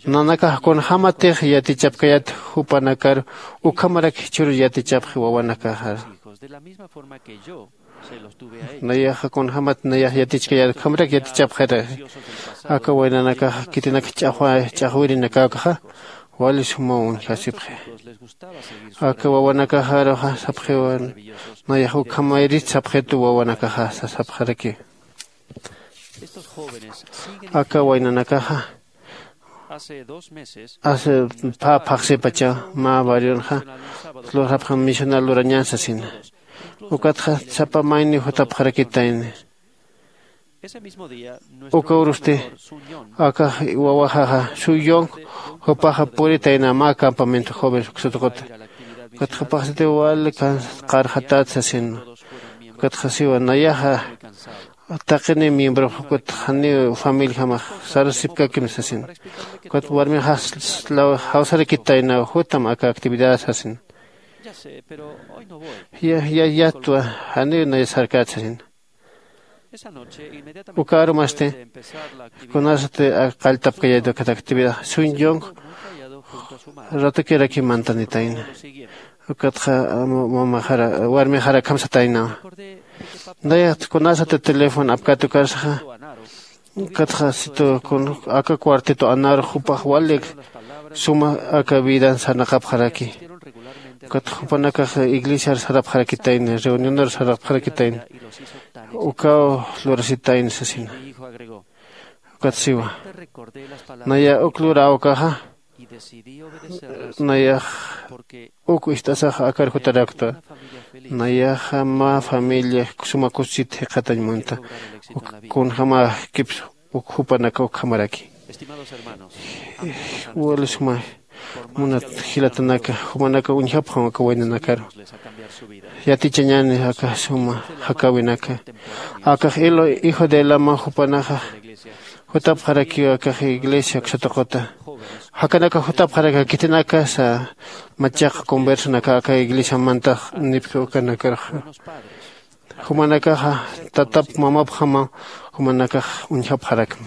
Nanakax kunjämatix yatichapkayät jupanakaru, ukhamarak jichhürus yatichapxi wawanakaxaru. Nayaxa kunjämat nayax yatichkayät ukhamarak yatichapxiri. Aka waynanakaxa khitinaka ch'axwa ch'axwirinakäkaxa wali sumaw uñjasipxi. Aka wawanakaxaruxa sapxiwan nayax ukhamayrit sapxitu wawanakaxa sasapxaraki. Aka waynanakaxa hace pä phaxsipachaw mä barrionxa lurxapxam misional lurañän sasina. Ukatxa sapa mayniw jutapxarakitayni. Uka urusti akax wawaxaxa suyong jupaxa puritayna mä campamento jóvenes uksatuquta. Ukatxa phaxsitiw wali qarxatät sasina. Ukatxa siwa nayaxa taqiniw miembrox ukatxa janiw familiajamax sarasipkakim sasina. Ukat warmixax jawsarakitaynaw jutam aka actividad sasina. Ya ya yatwa janiw nay sarkät sasina. Uka arumasti kunasati qalltapkayäta ukat actividad suñchunk ratukirakim mantanitayna. Ukatxa mamaxara warmixara akham sataynawa. Nayat kunasati teléfono apkat ukarsaxa ukatxa situ aka cuarteto anarux jupax walik suma aka vidan sarnaqapxaraki. Ukatxa jupanakax iglesiar sarapxarakitayna reunionur sarapxarakitayna. Ukaw lurasitayna sasina. Ukat siwa naya uk luräwkaxa nayax uk ist'asax akar jutaraktwa. Nayaxa mä familia suma kusit jikxatañ munta. Kunjämäkipsa uk jupanaka ukhamaraki. Wali suma munat jilatanaka jumanaka uñjapxam aka waynanakaru. Yatichañäni aka suma jakäwinaka. Akax hijo de elama jupanaxa jutapxarakiw akax iglesia uksatuquta. Jakanakax jutapxaraki khitinakasa machaq conversionaka aka iglesiamantax nipki ukanakaraxa. Jumanakaxa tatap mamapjama jumanakax uñjapxarakma.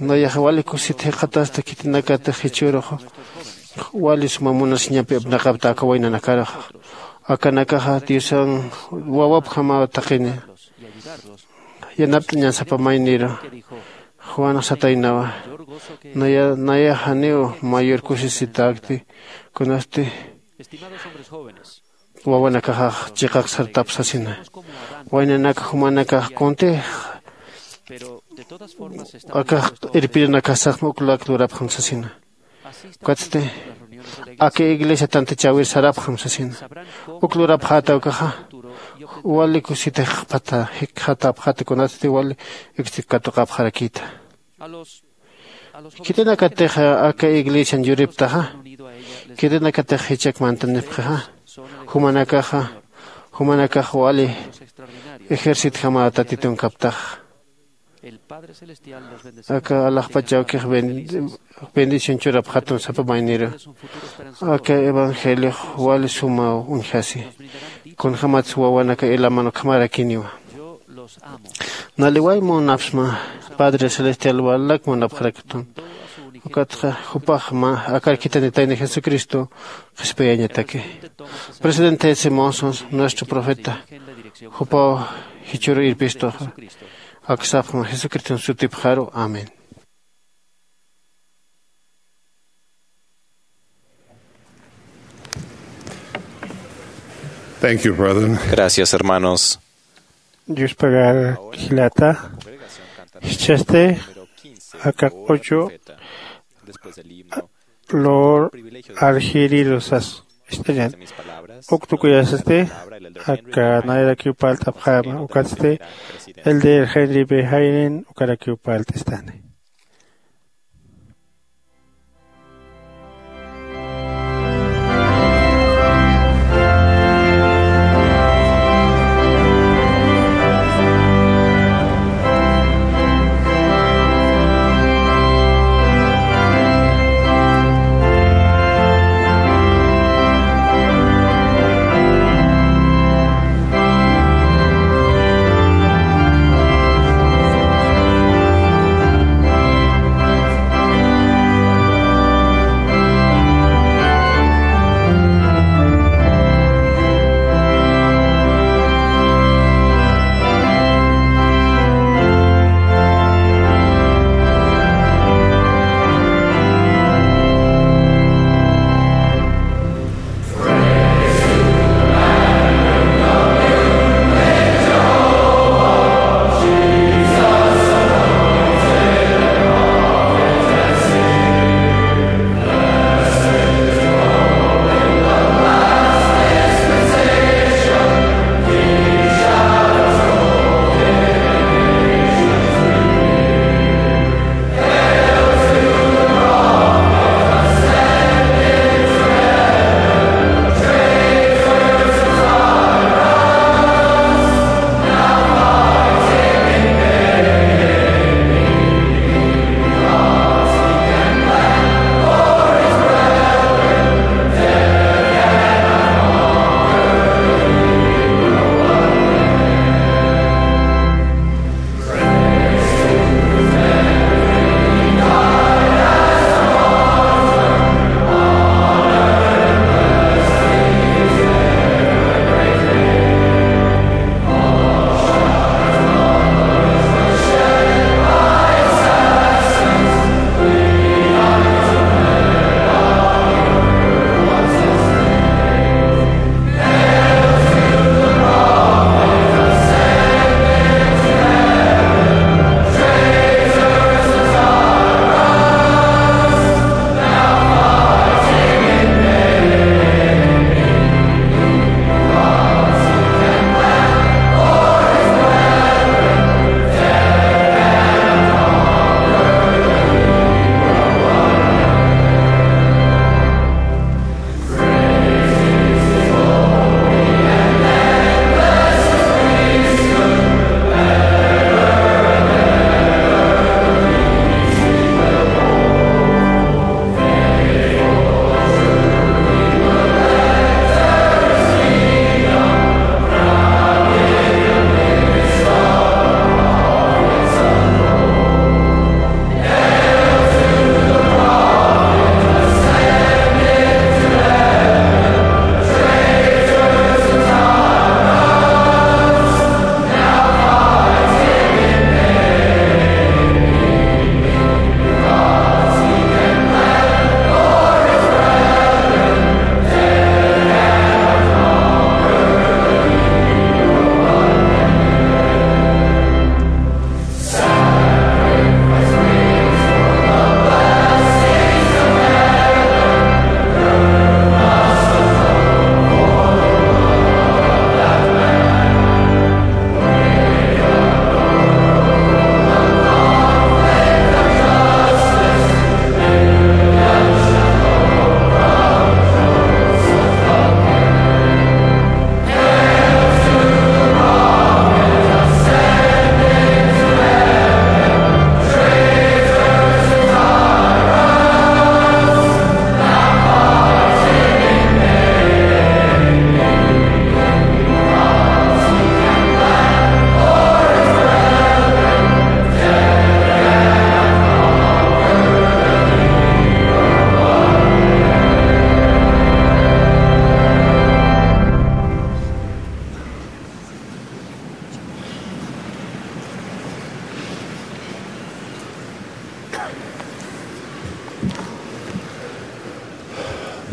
Nayaxa wali kusit jikxatasta khitinakatix jichhüruxa wali suma munasiñampi apnaqapta aka waynanakaruxa. Akanakaxa diosan wawapjamaw taqini yanapt'añan sapa mayniru. Juanx sataynawa naya nayax janiw mayor kusisitäkti kunasti wawanakaxax chiqaq sartap sasina. Waynanaka jumanakax kuntix akax irpirinakasaxma uklak lurapxam sasina. Ukatsti aka iglesia tantachäwir sarapxam sasina. Uk lurapxäta ukaxa wali kusitix jikxatapxäta kunatsti wali iksti katuqapxarakïta. Khitinakatix aka iglesian yuriptaxa khitinakatix jichhak mantanipxixa jumanakaxa jumanakax wali ejercitjamaw tatitunkaptaxa. Aka alaxpach awkix bendición churapxatum sapa mayniru. Aka evangeliox wali sumaw uñjasi. Kunjämatsa wawanaka elaman ukhamarakiniwa. Naliway munapsma padre celestial walak munapxarakitun. Ukatxa jupax mä akar khitinitayni jesucristo qhispiyañataki. Presidente simonsons nuestro profeta jupaw jichhüru irpistuxa. Aksapxma jesucriston sutipxaru amén. Thank you, brethren. Gracias, hermanos. Yuspagar jilata. Jichhasti aka q'uchu lur arjiriru sas. ist'añan. Uk tukuyasasti aka nayarakiw parlt'apxäma, ukatsti el de Henry B. Hayden ukarakiw parlt'istani.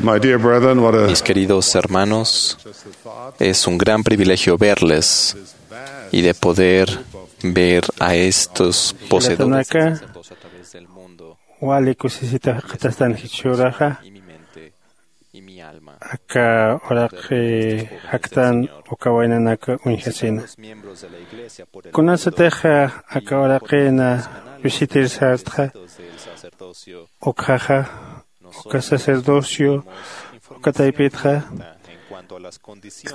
My dear brethren, what a... Mis queridos hermanos, es un gran privilegio verles y de poder ver a estos poseedores. Jilatanaka, wali kusisita jikxatastan jichhüraxa. aka uraqi jaktan uka waynanak uñjasina. Kunasatix aka uraqina visitir sartxa, ukxaxa uka sacerdocio uka taypitxa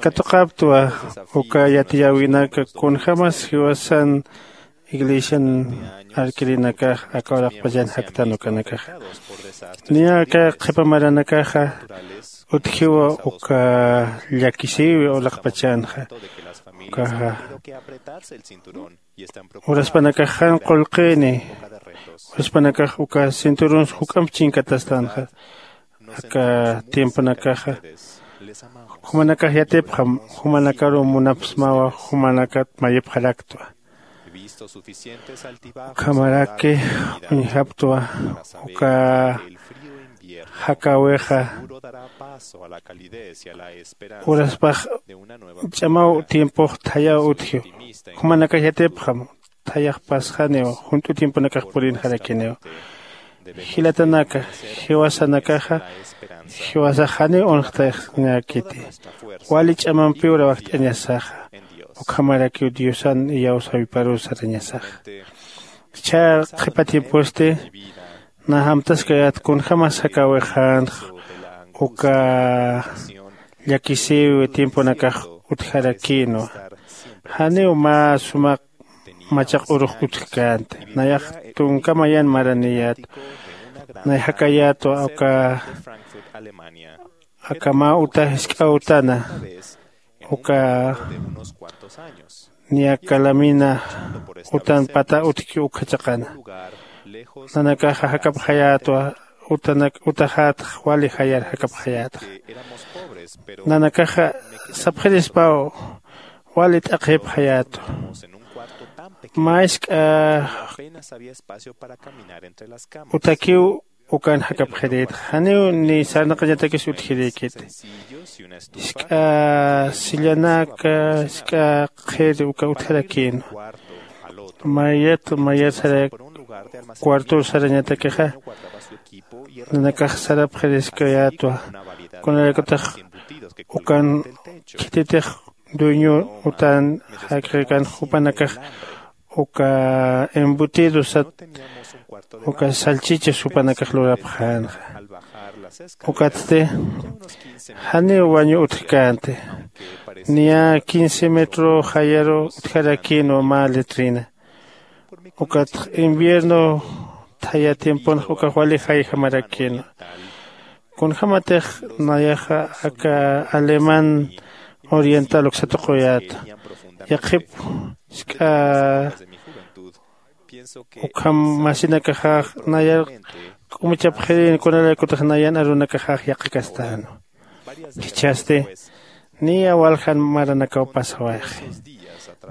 katuqaptwa uka yatiyäwinak kunjämas jiwasan iglesian arkirinakax aka uraqpachan jaktan ukanakaxa. Niya aka qhipa maranakaxa utjiwa uka llakisïwi uraqpachanxa. Ukaxa uraspanakax jan qullqini, uraspanakax uka cinturuns juk'amp chinkatastanxa. Aka tiemponakaxa jumanakax yatipxam, jumanakaru munapsmawa, jumanakat mayipxaraktwa. Ukhamaraki uñjaptwa uka jakäwixa uraspax ch'amaw tiempox thayaw utji. Jumanakax yatipxam, thayax pasxaniw, junt'u tiemponakax purinxarakiniw. Jilatanaka, jiwasanakaxa jiwasax janiw unxtayaxñäkiti. Wali ch'amampiw rawajt'añasaxa, ukhamarakiw diosan iyawsäwiparuw sarañasaxa. Jichha qhipa tiemposti nä amtaskayät kunjämas jakäwixänx uka llakisïwi tiemponakax utjarakïnwa. Janiw mä suma machaq urux utjkänti. Nayax tunka mayan maraniyät. Nay jakayätwa uka aka mä uta jisk'a utana uka niya calamina utan pata utjki ukjachaqana. Nanakaxa jakapxayätwa utanak utaxätx wali jayar jakapxayätxa. Nanakaxa sapxirispaw wali t'aqhipxayätwa. Mä jisk'a utakiw ukan jakapxirïtxa, janiw ni sarnaqañatakis utjirïkiti. Jisk'a sillanaka, jisk'a qhiri uka utjarakïnwa. Mayat mayat sara cuartor sarañatakixa nanakax sarapxiriskayätwa. Kunalaykutix ukan khititix dueño utan jakxirkan jupanakax uka embutido sat uka salchicha supanakax lurapxänxa. Ukatsti janiw wañu utjkänti. Niya quince metro jayaru utjarakïnwa mä letrina. Ukatx invierno thaya tiemponx ukax wali jayjamarakïnwa. Kunjämatix nayaxa aka alemán oriental uksatuquyäta yaqhip jisk'a ukham masinakaxax nayar k'umuchapxirin kunalaykutix nayan arunakaxax yaqhikastänwa. Jichhasti niya waljan maranakaw pasawayxi.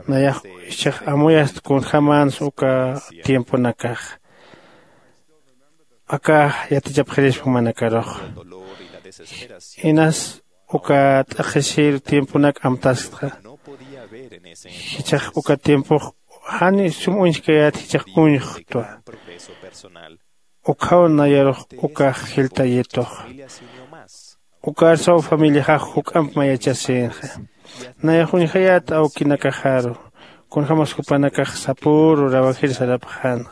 Nayax jichhax amuyast kunjämänsa uka tiemponakax aka yatichapxirispa jumanakarux. Inas uka t'aqhisir tiemponak amtastxa. Jichhax uka tiempox jani sum uñjkayät jichhax uñxtwa. Ukhaw nayarux ukax jiltayitux. Ukarsaw familiaxax juk'amp mayachasïnxa. Nayax uñjayät awkinakaxaru kunjämas jupanakax sapüru rawajir sarapxänxa.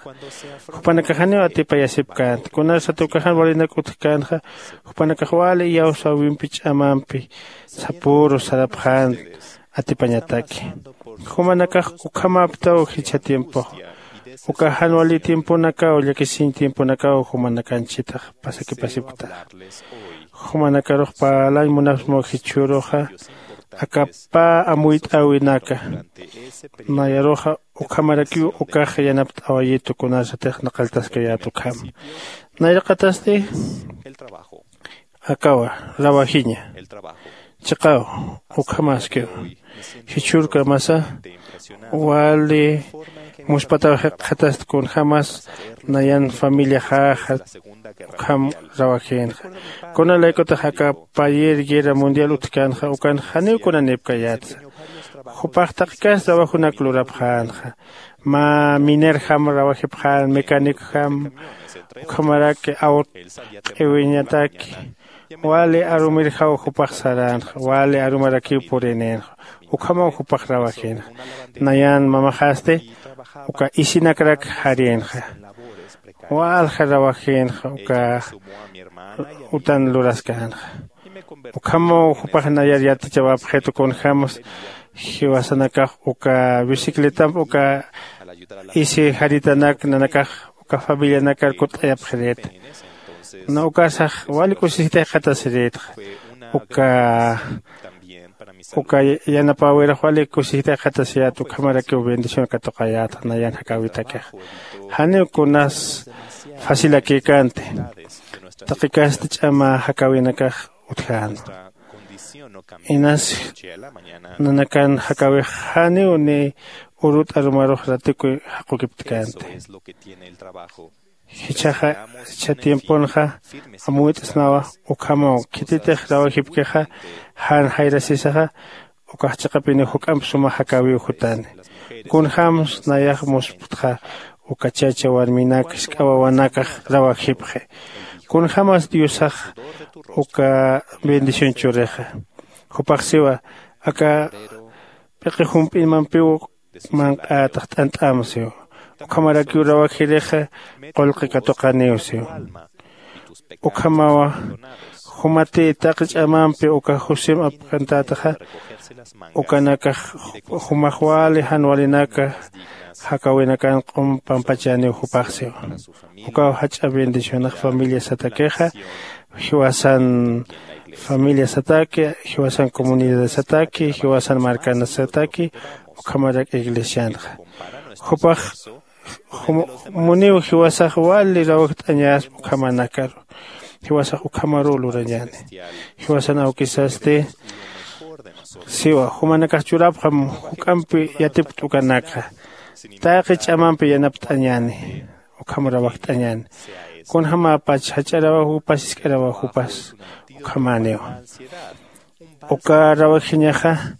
Jupanakax janiw atipayasipkänti kunarsat uka jan walinak utjkänxa. Jupanakax wali iyawsäwimpi ch'amampi sapüru sarapxän atipañataki. Jumanakax ukhamäptaw jichha tiempox uka jan wali tiemponakaw llakisiñ tiemponakaw jumanakanchitax pasakipasipktax. Jumanakarux parlañ munapsmaw jichhüruxa aka pä amuyt'äwinaka. Nayaruxa ukhamarakiw ukax yanapt'awayitu kunarsatix naqalltaskayät ukham. Nayraqatasti akawa rawajiña. Chiqaw ukhamäskiw jichhürkamasa wali muspataw jikxatast kunjämas nayan familiaxäxa ukham rawajïnxa. Kunalaykutix aka payer guerra mundial utjkänxa ukan janiw kunanïpkayätsa. Jupax taqi kas trabajonak lurapxänxa. Mä minerjam rawajipxän mecanicjam ukhamaraki awt q'iwiñataki Wali arumirjaw jupax saränxa, wali arumarakiw purinïnxa. Ukhamaw jupax rawajïnxa. Nayan mamaxasti uka isinakrak jarïnxa, walja rawajïnxa uka utan luraskänxa. Ukhamaw jupax nayar yatichawapxitu kunjämas jiwasanakax uka bicicletamp uka isi jaritanak nanakax uka familianakar kutt'ayapxirïta. Na ukarsax wali kusisitayxatasirïtxa. Uka uka yanapäwirux wali kusisitayxatasiyät, ukhamarakiw bendición katuqayätxa nayan jakäwitakix. Janiw kunas facilakïkänti, taqikasti ch'ama jakäwinakax utjänwa. Inas nanakan jakäwix janiw ni urut arumarux ratikuy jaqukiptkänti. Jichhaxa jichha tiemponxa amuyt'snawa. Ukhamaw khititix rawajipkixa jan jayrasisaxa ukax chiqapiniw juk'amp suma jakäwiw jutani. Kunjämsa nayax musptxa uka chacha warminak jisk'a wawanakax rawajipxi. Kunjämas diosax uka bendición churixa. Jupax siwa aka p'iqi jump'inmampiw manq'ätax t'ant'äm siw. Ukhamarakiw rawajirixa qullqi katuqaniw siw. Ukhamawa jumati taqi ch'amampi uka jusim apkantätaxa ukanakax jumax wali jan walinaka jakäwinakan q'um pampachäniw jupax siw. Ukaw jach'a bendicionax familiasatakixa, jiwasan familiasataki, jiwasan comunidadasataki, jiwasan markanasataki, ukhamarak iglesianxa. Jupax muniw jiwasax wali rawjt'añäspa ukhamanakaru. Jiwasax ukhamaruw lurañäni. Jiwasan awkisasti siwa jumanakax churapxam juk'ampi yatipkt ukanakxa. Taqi ch'amampi yanapt'añäni, ukham rawajt'añäni. Kunjämäpach jach'a rawaj jupas jisk'a rawaj jupas ukhamäniwa. Uka rawajxiñaxa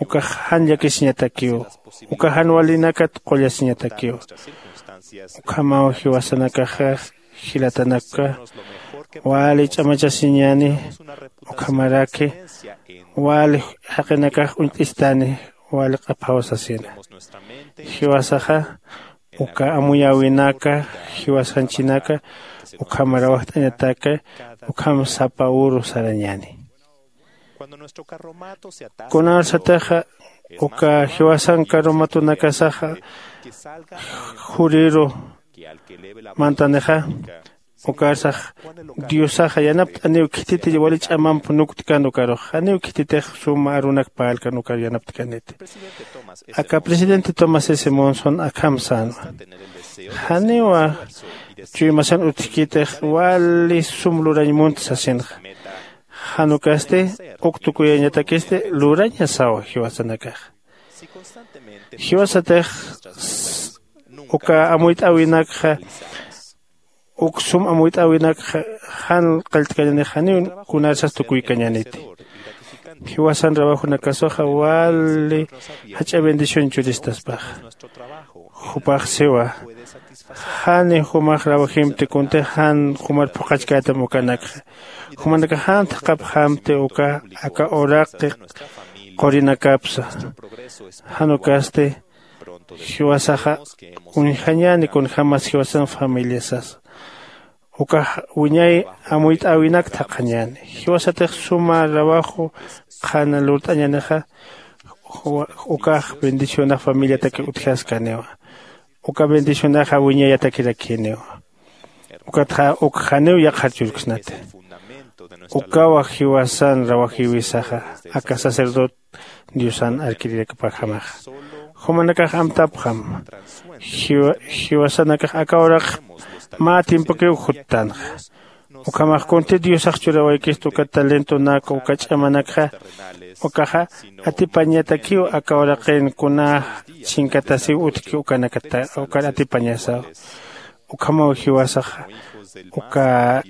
ukax jan llakisiñatakiw, uka jan walinakat qullasiñatakiw. Ukhamaw jiwasanakaxa jilatanaka wali ch'amachasiñäni. Ukhamaraki wali jaqinakax uñt'istani wali q'aphaw sasina. Jiwasaxa uka amuyäwinaka, jiwasanchinaka ukham rawajt'añataki ukham sapa uru sarañäni. Kunarsatixa uka jiwasan karumatunakasaxa juriru mantanixa, ukarsax diosaxa yanapt'aniw khititi wali ch'amamp nuktkan ukarux, janiw khititix suma arunak parlkan ukar yanaptkaniti. Aka presidente tomás s monson akham sänwa. Janiwa chuymasan utjkitix wali sum lurañ munt sasinxa. Jan ukasti uk tukuyañatakisti lurañasaw jiwasanakax. Jiwasatix uka amuyt'äwinakxa uk sum amuyt'äwinakxa jan qalltkañanix janiw kunarsas tukuykañäniti. Jiwasan rawajunakasaxa wali jach'a bendición churistaspaxa. Jupax siwa jani jumax rawajimti kuntix jan jumar phuqhachkätam ukanakxa. Jumanakax jan thaqhapxämti uka aka uraqi qurinakapsa. Jan ukasti jiwasaxa uñjañäni kunjämas jiwasan familiasasa. Ukax wiñay amuyt'äwinak thaqhañäni. Jiwasatix suma rawaju qhana lurt'añänixa ukax bendicionax familiataki utjaskaniwa. Uka bendicionaxa wiñayatakirakiniwa. Ukatxa uk janiw yaqhar churksnati. Ukawa jiwasan rawajiwisaxa aka sacerdote diosan arkirirakapaxamaxa. Jumanakax amtapxam jiwasanakax aka uraqx mä tiempokiw juttanxa. Ukhamax kunti diosax churawaykistu uka talentonaka uka ch'amanakxa ukaxa atipañatakiw aka uraqin kuna chinkatasiw utjki ukanakata ukar atipañasaw. Ukhamaw jiwasaxa uka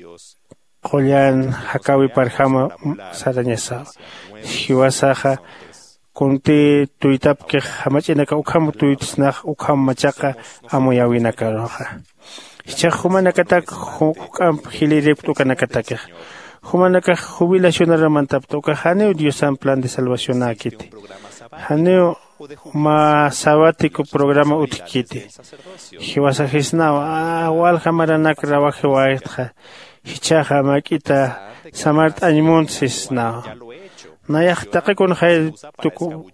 qullan jakäwiparjama sarañasaw. Jiwasaxa kunti tuytapkix jamach'inaka ukham tuytsnax ukham machaqa amuyäwinakaruxa. Jichhax jumanakatak juk'amp jilïripkt ukanakatakixa. Jumanakax jubilacionaramantapta ukax janiw diosan plan de salvacionäkiti. Janiw mä sabático programa utjkiti. Jiwasajisnaw walja maranakrarawajiwaytxa. Jichhaxa mak'ita samart'añmunt sisnaw. Nayax taqi kunxay tuku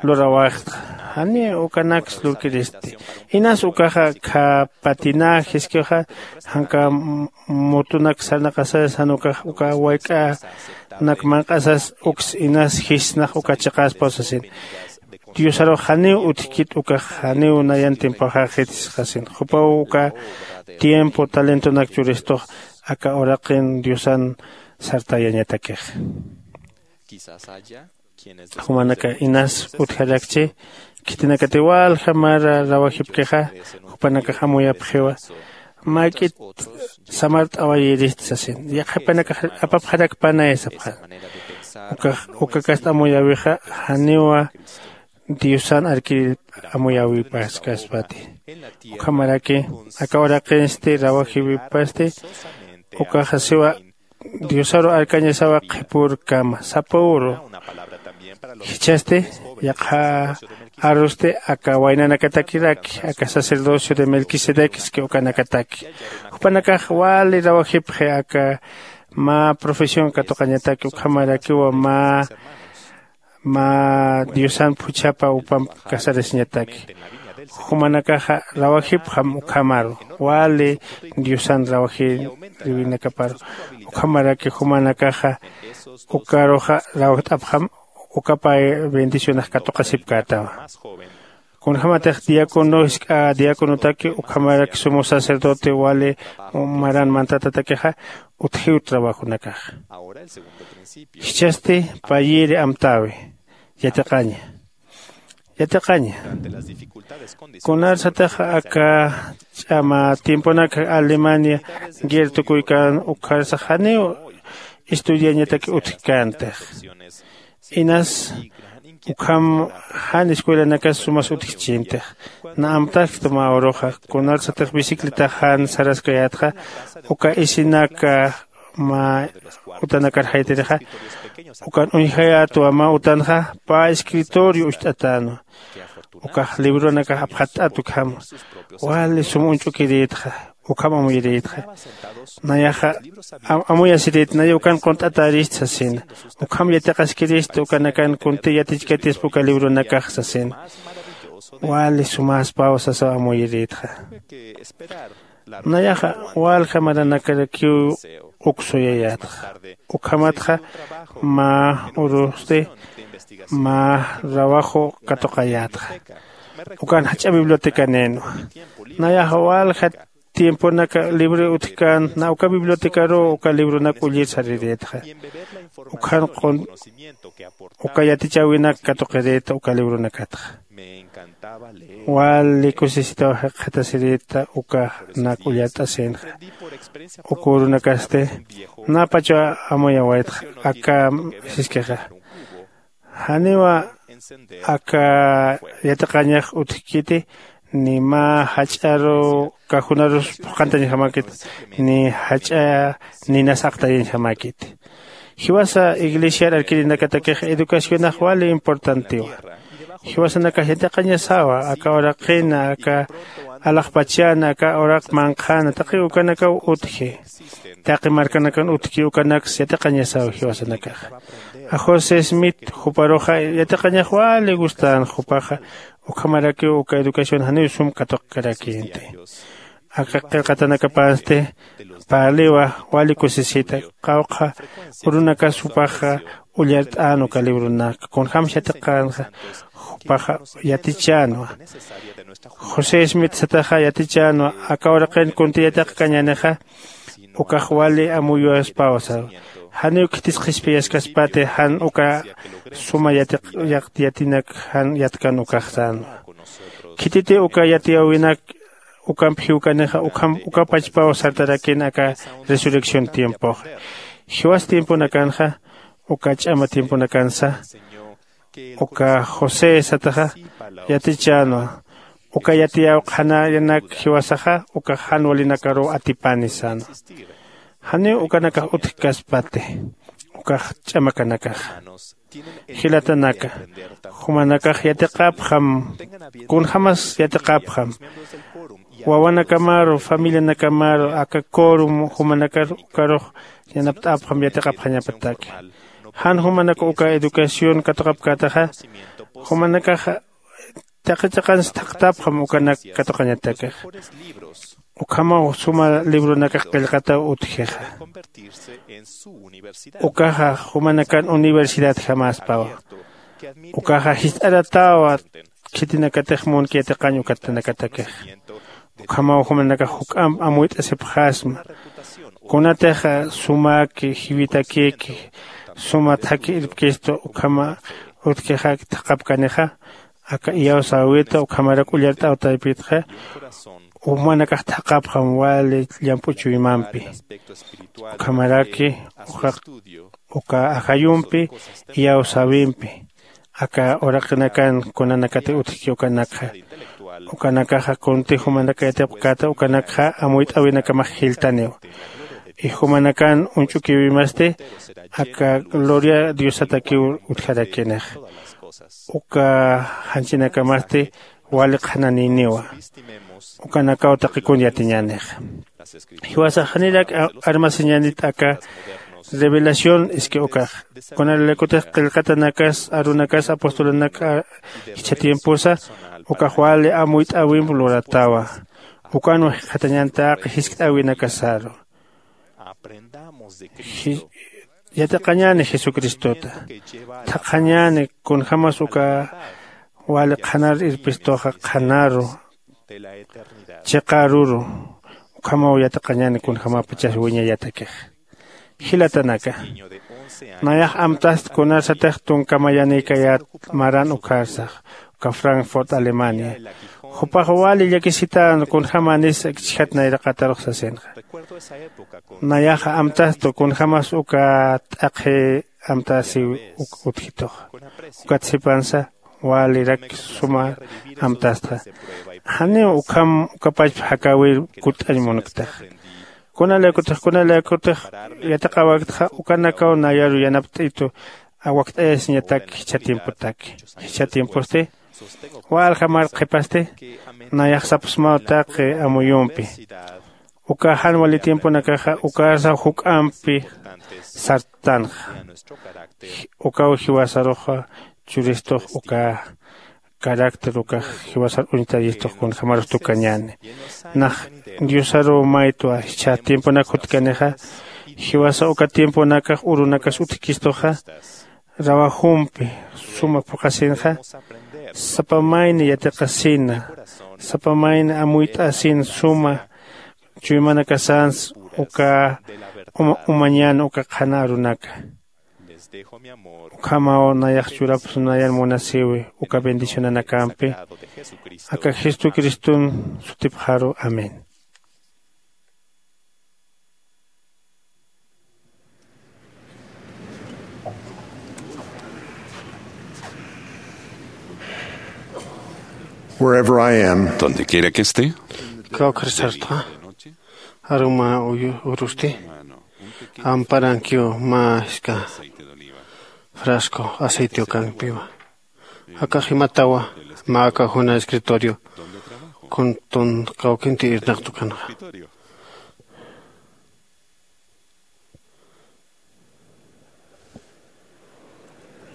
lurawayxtxa. Jani ukanaksa lurkiristi. Inas ukaxa khapatinajiskixa. Janka mutunak sarnaqasas jan ukax uka wayk'anak manq'asas uks inas jisnax uka chiqaspaw sasin. Diosarux janiw utjkit ukax janiw nayan tiempoxaxit sisxasin jupaw uka tiempo talentonak churistux aka uraqin diosan sartayañatakixa. Jumanaka inas utjarakchi khitinakati walja mara rawajipkixa jupanakax amuyapxiwa. Mak'it samart'awayirist sasin yaqhipanakax apapxarakpanay sapxan. Ukax ukakast amuyäwixa janiwa diosan arkirir amuyäwipaskaspati. Ukhamaraki aka uraqinsti rawajiwipasti ukaxa siwa diosaru arkañasawa qhipürkama sapüru. Jichhasti yaqha arusti aka waynanakatakiraki aka sacerdocio de melquisedec ski ukanakataki. Jupanakax wali rawajipxi aka mä profesión katuqañataki ukhamarakiwa mä mä diosan phuchhapa upamp kasarasiñataki. Jumanakaxa rawajipxam ukhamaru wali diosan rawajiriwinakaparu. Ukhamaraki jumanakaxa ukaruxa rawjt'apxam ukapay bendicionax katuqasipkätawa. Kunjämatix diácono jisk'a diáconotaki ukhamarak sumo sacerdote wali maran mantatatakixa utjiw trabajunakaxa. Jichhasti payïri amtäwi. Yatiqaña yatiqaña. Kunarsatix aka ch'ama tiemponak alemania guerra tukuykän ukharsax janiw estudiañatak utjkäntix. Inas ukham jan escuelanakas sumas utjchintix. Na amtaskta mä uruxa kunarsatix bicicletax jan saraskayätxa uka isinaka mä utanakar jaytirixa ukan uñjayätwa mä utanxa pä escritorio ucht'atänwa. Ukax libronakax apxatt'at ukhama wali sum uñch'ukirïtxa. Ukham amuyirïtxa nayaxa amuyasirït naya ukan qunt'atärist sasina. Ukham yatiqaskirist ukanakan kunti yatichkatispa uka libronakax sasina. Wali sumäspaw sasaw amuyirïtxa. Nayaxa walja maranakarakiw uksuyayätxa. Ukhamatxa mä urusti mä rawaju katuqayätxa. Ukan jach'a bibliotecanïnwa. Nayaxa walja tiemponaka libre utjkän na uka bibliotecaruw uka libronak ullir sarirïtxa. Ukhan qun uka yatichäwinak katuqirïta uka libronakatxa. Wali kusisitaw jikxatasirïta ukanak ullart'asïnxa. Uka urunakasti napachaw amuyawaytxa aka siskixa. Janiwa aka yatiqañax utjkiti ni mä jach'aru kajunarus phuqhantañjamäkit ni jach'a ninas aqtayañjamäkiti. Jiwasa iglesiar arkirinakatakixa educacionax wali importantiwa. Jiwasanakax yatiqañasawa aka uraqina aka alaxpachana aka uraq manqhana taqi ukanakaw utji. Taqi markanakan utjki ukanaksa yatiqañasawa jiwasanakaxa. A josé smith juparuxa yatiqañax wali gustän jupaxa. Ukhamarakiw uka educación janiw sum katuqkarakïnti. Aka qillqatanakapansti parliwa wali kusisita. Qawqha urunakas jupaxa ullart'än uka libronak kunjämsa yatiqänxa jupaxa yatichänwa. José smith sataxa yatichänwa aka uraqin kunti yatiqkañänixa ukax wali amuyaspawa sawa. Janiw khitis qhispiyaskaspati jan uka suma yatiq yatinak jan yatkan ukax sänwa. Khititi uka yatiyäwinak ukamp jiwkanixa ukham ukapachpaw sartarakïn aka resurrección tiempoxa. Jiwas tiemponakanxa uka ch'ama tiemponakansa uka josé sataxa yatichänwa. Uka yatiyäw qhanayanak jiwasaxa ukax jan walinakaruw atipani sänwa. Janiw ukanakax utjkaspati ukax ch'amakanakaxa. Jilatanaka, jumanakax yatiqapxam. Kunjämas yatiqapxam, wawanakamaru familianakamaru aka corum jumanakar ukarux yanapt'apxam yatiqapxañapataki. Jan jumanak uka educación katuqapkätaxa, jumanakaxa taqi chiqans thaqtapxam ukanak katuqañatakixa. Ukhamaw suma libronakax qillqataw utjixa. Ukaxa jumanakan universidadjamäspawa. Ukaxa jist'aratäwa khitinakatix munki yatiqañ ukatanakatakixa. Ukhamaw jumanakax juk'amp amuyt'asipxasma. Kunatix sumäki jiwitakïki suma thakhi irpkistu ukhama utjkixak thaqapkanixa, aka iyawsäwita ukhamarak ullart'aw taypitxa jumanakax thaqapxam wali llamp'u chuymampi. Ukhamaraki uka ajayumpi iyawsäwimpi aka uraqinakan kunanakati utjki ukanakxa, ukanakaxa kunti jumanaka yatipkata ukanakxa amuyt'äwinakamax jilltaniw. Y jumanakan uñch'ukiwimasti aka gloria diosatakiw utjarakinixa. Uka janchinakamasti wali qhananïniwa. Ukanakaw taqi kun yatiñänixa. Jiwasax janirak armasiñänit aka revelación iski ukax. Kunalaykutix qillqatanakas arunakas apostolunaka jichha tiemposa ukax wali amuyt'äwimp luratawa. Ukanwa jikxatañän taqi jiskt'äwinakasaru. Yatiqañäni jesucristota. Thaqhañäni kunjämas uka wali qhanar irpistuxa qhanaru chiqa aruru. Ukhamaw yatiqañäni kunjämapachas wiñayatakix. Jilatanaka, nayax amtast kunarsatix tunka mayanïkayät maran ukharsax uka frankfurt alemania. Jupax wali llakisitän kunjämanis akchijat nayraqatarux sasinxa. Nayaxa amtastu kunjämas uka t'aqhi amtasiw utjituxa. Ukat sipansa walirak suma amtastxa. Janiw ukham ukapachpa jakäwir kutt'añ munktaxa. Kunalaykutix kunalaykutix yatiqäwaktxa ukanakaw nayaru yanapt'itu awakt'ayasiñatak jichha tiempotaki. Jichha tiemposti waljamar qhipasti nayax sapsmaw taqi amuyumpi. Uka jan wali tiemponakaxa ukarsaw juk'ampi sartanxa. Ukaw jiwasaruxa churistux uka carácter ukax jiwasar uñtayistux kunjämarus tukañäni. Nax diosaruw maytwa jichha tiemponak jutkanixa. Jiwasa uka tiemponakax urunakas utjkistuxa rawajumpi suma phuqhasinxa. Sapa mayni yatiqasina sapa mayni amuyt'asin suma chuymanakasans uka umañän uka qhana arunaka. Ukhamaw nayax churapxsnayan munasïwi uka bendicionanakampi aka jesucriston sutipxaru. Amén. Wherever I am, donde quiera que esté, kawkhar sartxa aruma urusti amparankiw mä jisk'a frasco aceite ukankipiwa. Aka jimatawa mä aka juna escritorio kuntun kawkinti irnaqtukanxa.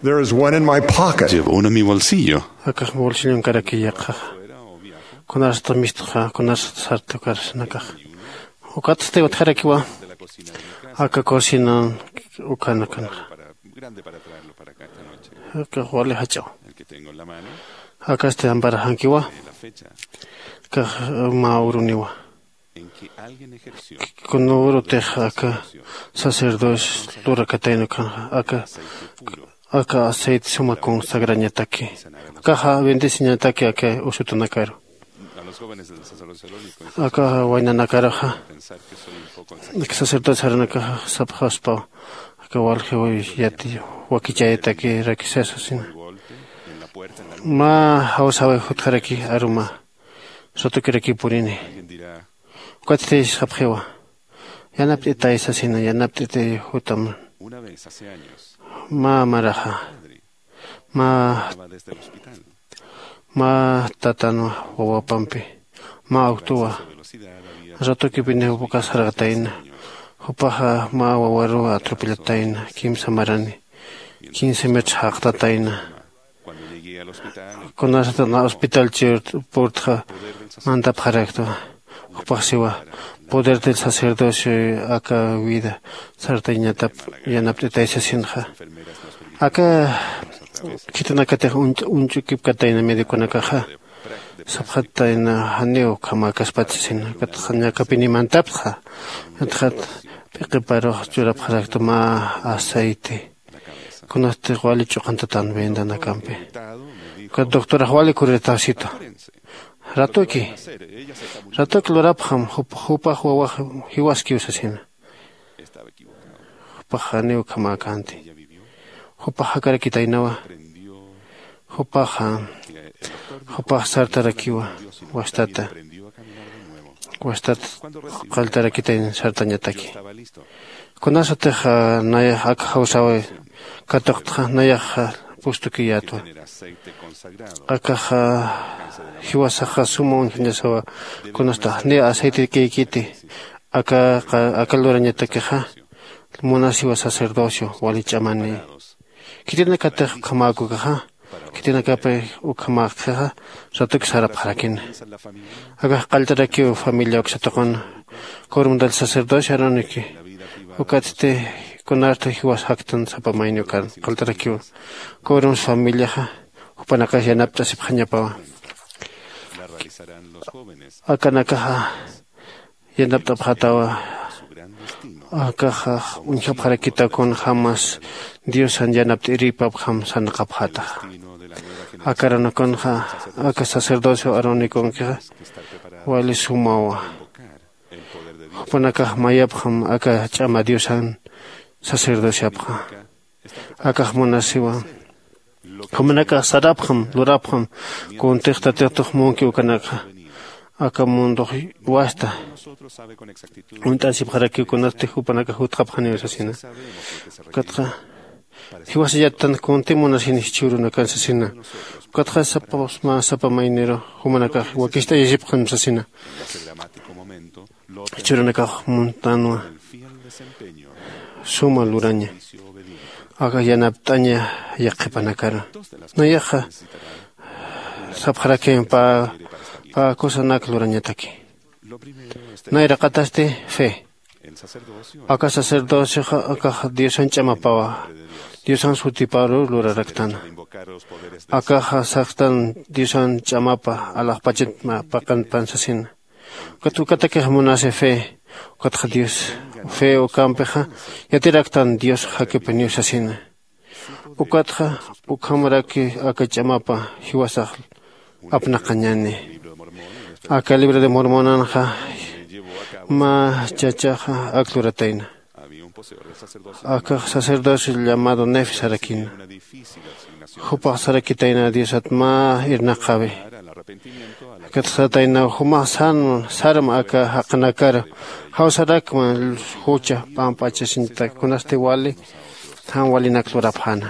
There is one in my pocket. Llevo uno en mi bolsillo. Akax bolsillonkarakiy yaqhaxa. Kunasatix mistxa kunasatix sartukarsanakaxa. Ukatsti utjarakiwa aka cocinan ukanakanxa. Akax wali jach'aw. Akasti amparaxankiwa. Akax mä uruniwa. Kunürutix aka sacerdocio lurakatayna ukhanxa aka aka aceite suma consagrañataki. Akaxa bendeciñataki aka usutunakaru. Aka waynanakaruxa aka sacerdocio sarunakaxa sapxaspaw aka waljiw yati wakichayataki rakisasasina. Mä jawsawi jutjaraki aruma satukirakï purini. Ukatsti sapxiwa Yanapt'itay sasina, yanapt'itay jutam. Mä maraxa, mä, mä tatanwa wawapampi, mä awtuwa. Ratukipini jupakas jarqatayna. Jupaxa mä wawaruw atropellatayna, kimsa marani, quince metros jaqtatayna. Kunasatana hospital chir purtxa mantapxaraktwa. Jupax siwa, poder del sacerdocio aka vida sartañatap yanapt'itay sasinxa. Aka khitinakatix uñch'ukipkatayna medikunakaxa, sapxatayna janiw ukhamäkaspat sasina. Katxañakapini mantapxa. Katxat p'iqiparux churapxarakta mä aceite, kunasti wali ch'uqantatan vendanakampi. Ukat doctorax wali kurirtawsitu. Ratuki, ratuki lurapxam, jupax wawax jiwaskiw sasina. Jupax janiw ukhamäkänti. Jupax jakarakitaynawa. Jupaxa, jupax sartarakiwa wastata, wastat qalltarakitayna sartañataki. Kunasatix nayax ak jawsawi katuqtxa nayax pustukiyätwa. Akaxa jiwasaxa suma uñjañasawa. Kunasta janiw aceite kïkiti, aka lurañatakixa munasiwa sacerdocio wali ch'amani. Khitinakatix ukhamäkukaxa, khitinakapi ukhamäkixa, ratuki sarapxarakina. Akax qalltarakiw familia uksatuqun, quorum del sacerdocio aaronikiw. Ukatsti kunarta jiwas jaktan sapa mayniw kan qalltarakiw. Quorum familiaxa jupanakax yanapt'asipxañapawa. Akanakaxa yanapt'apxatawa. Akaxa uñjapxarakita kunjämas diosan yanapt'irïpapjam sarnaqapxätaxa. Aka arunakunxa, aka sacerdocio aaronikunkixa wali sumawa. Jupanakax mayapxam aka ch'ama diosan sacerdociapxa. Akax munasiwa, jumanakax sarapxam, lurapxam kuntix tatix tux munki ukanakxa. Aka mundux wasta uñt'asipxarakiw kunasti jupanakax jutxapxaniw sasina. Ukatxa jiwasa yattan kunti munasini jichhürunakan sasina. Ukatxa sapa mä sapa mayniru jumanakax wakicht'ayasipxam sasina. Jichhürunakax muntanwa suma luraña, aka yanapt'aña yaqhipanakaru. Nayaxa sapxarakim pä pä kusanak lurañataki. Nayraqatasti fe. Aka sacerdocioxa akax diosan ch'amapawa, diosan sutiparuw luraraktana. Akaxa saxtan diosan ch'amapa alaxpachat paqanpan sasina. Ukat ukatakix munasi fe. Ukatxa dios fe ukampixa yatiraktan dios jakipiniw sasina. Ukatxa ukhamaraki aka ch'amapa jiwasax apnaqañani. Aka libro de mormonanxa mä chachaxa ak luratayna. Akax sacerdocio llamado nefe sarakina. Jupax sarakitayna diosat mä irnaqawi. Kat sataynaw jumax sarma aka jaqinakar jawsarakma jucha p'amp'achasiñatak kunasti wali jan walinak lurapxäna.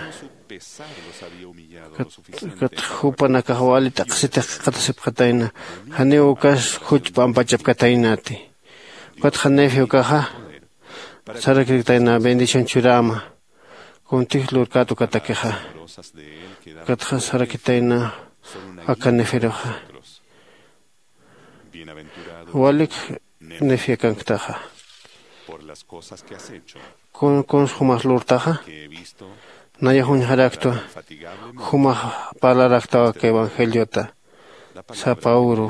Kat jupanakax wali t'aqsitix qhiqatasipxatayna. Janiw ukas juch p'ampachapkataynati. Ukatxa nefe ukaxa sarakirktayna bendición churäma. Kuntix lurkät ukatakixa. Ukatxa sarakitayna aka neferuxa. Walik nefe akanktaxa. Kuns jumax lurtaxa. Nayax uñjaraktwa. Jumax parlaraktaw aka evangeliota. Sapa uru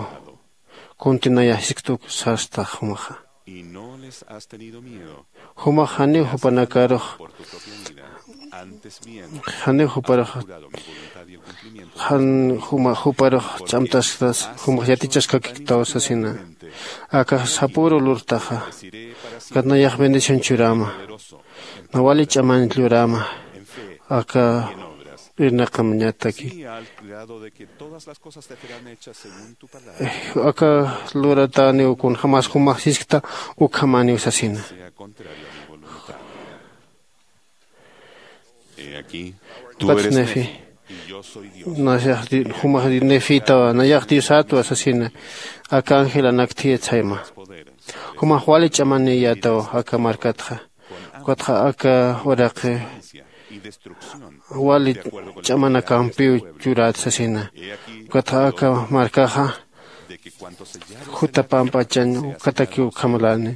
kunti nayax jiskt'uk sastax jumaxa. Jumax janiw jupanakarux janiw juparux jan jumax juparux ch'amtastas jumax yatichaskakiktaw sasina. Akax sapüru lurtaxa. Kat nayax bendición churäma. Nawali ch'amanit lurama. Aka irnaqamañataki. Aka lurataniw kunjämas jumax jiskta ukhamaniw sasina. Ukat nefi, nayax jumax nefitawa, nayax diosatwa sasina. Aka angelanak thiyat sayma. Jumax wali ch'amaniyataw aka markatxa. Ukatxa aka uraqi wali ch'amanakampiw churat sasina. Ukatxa aka markaxa juta pampachañ ukatakiw ukhamlani.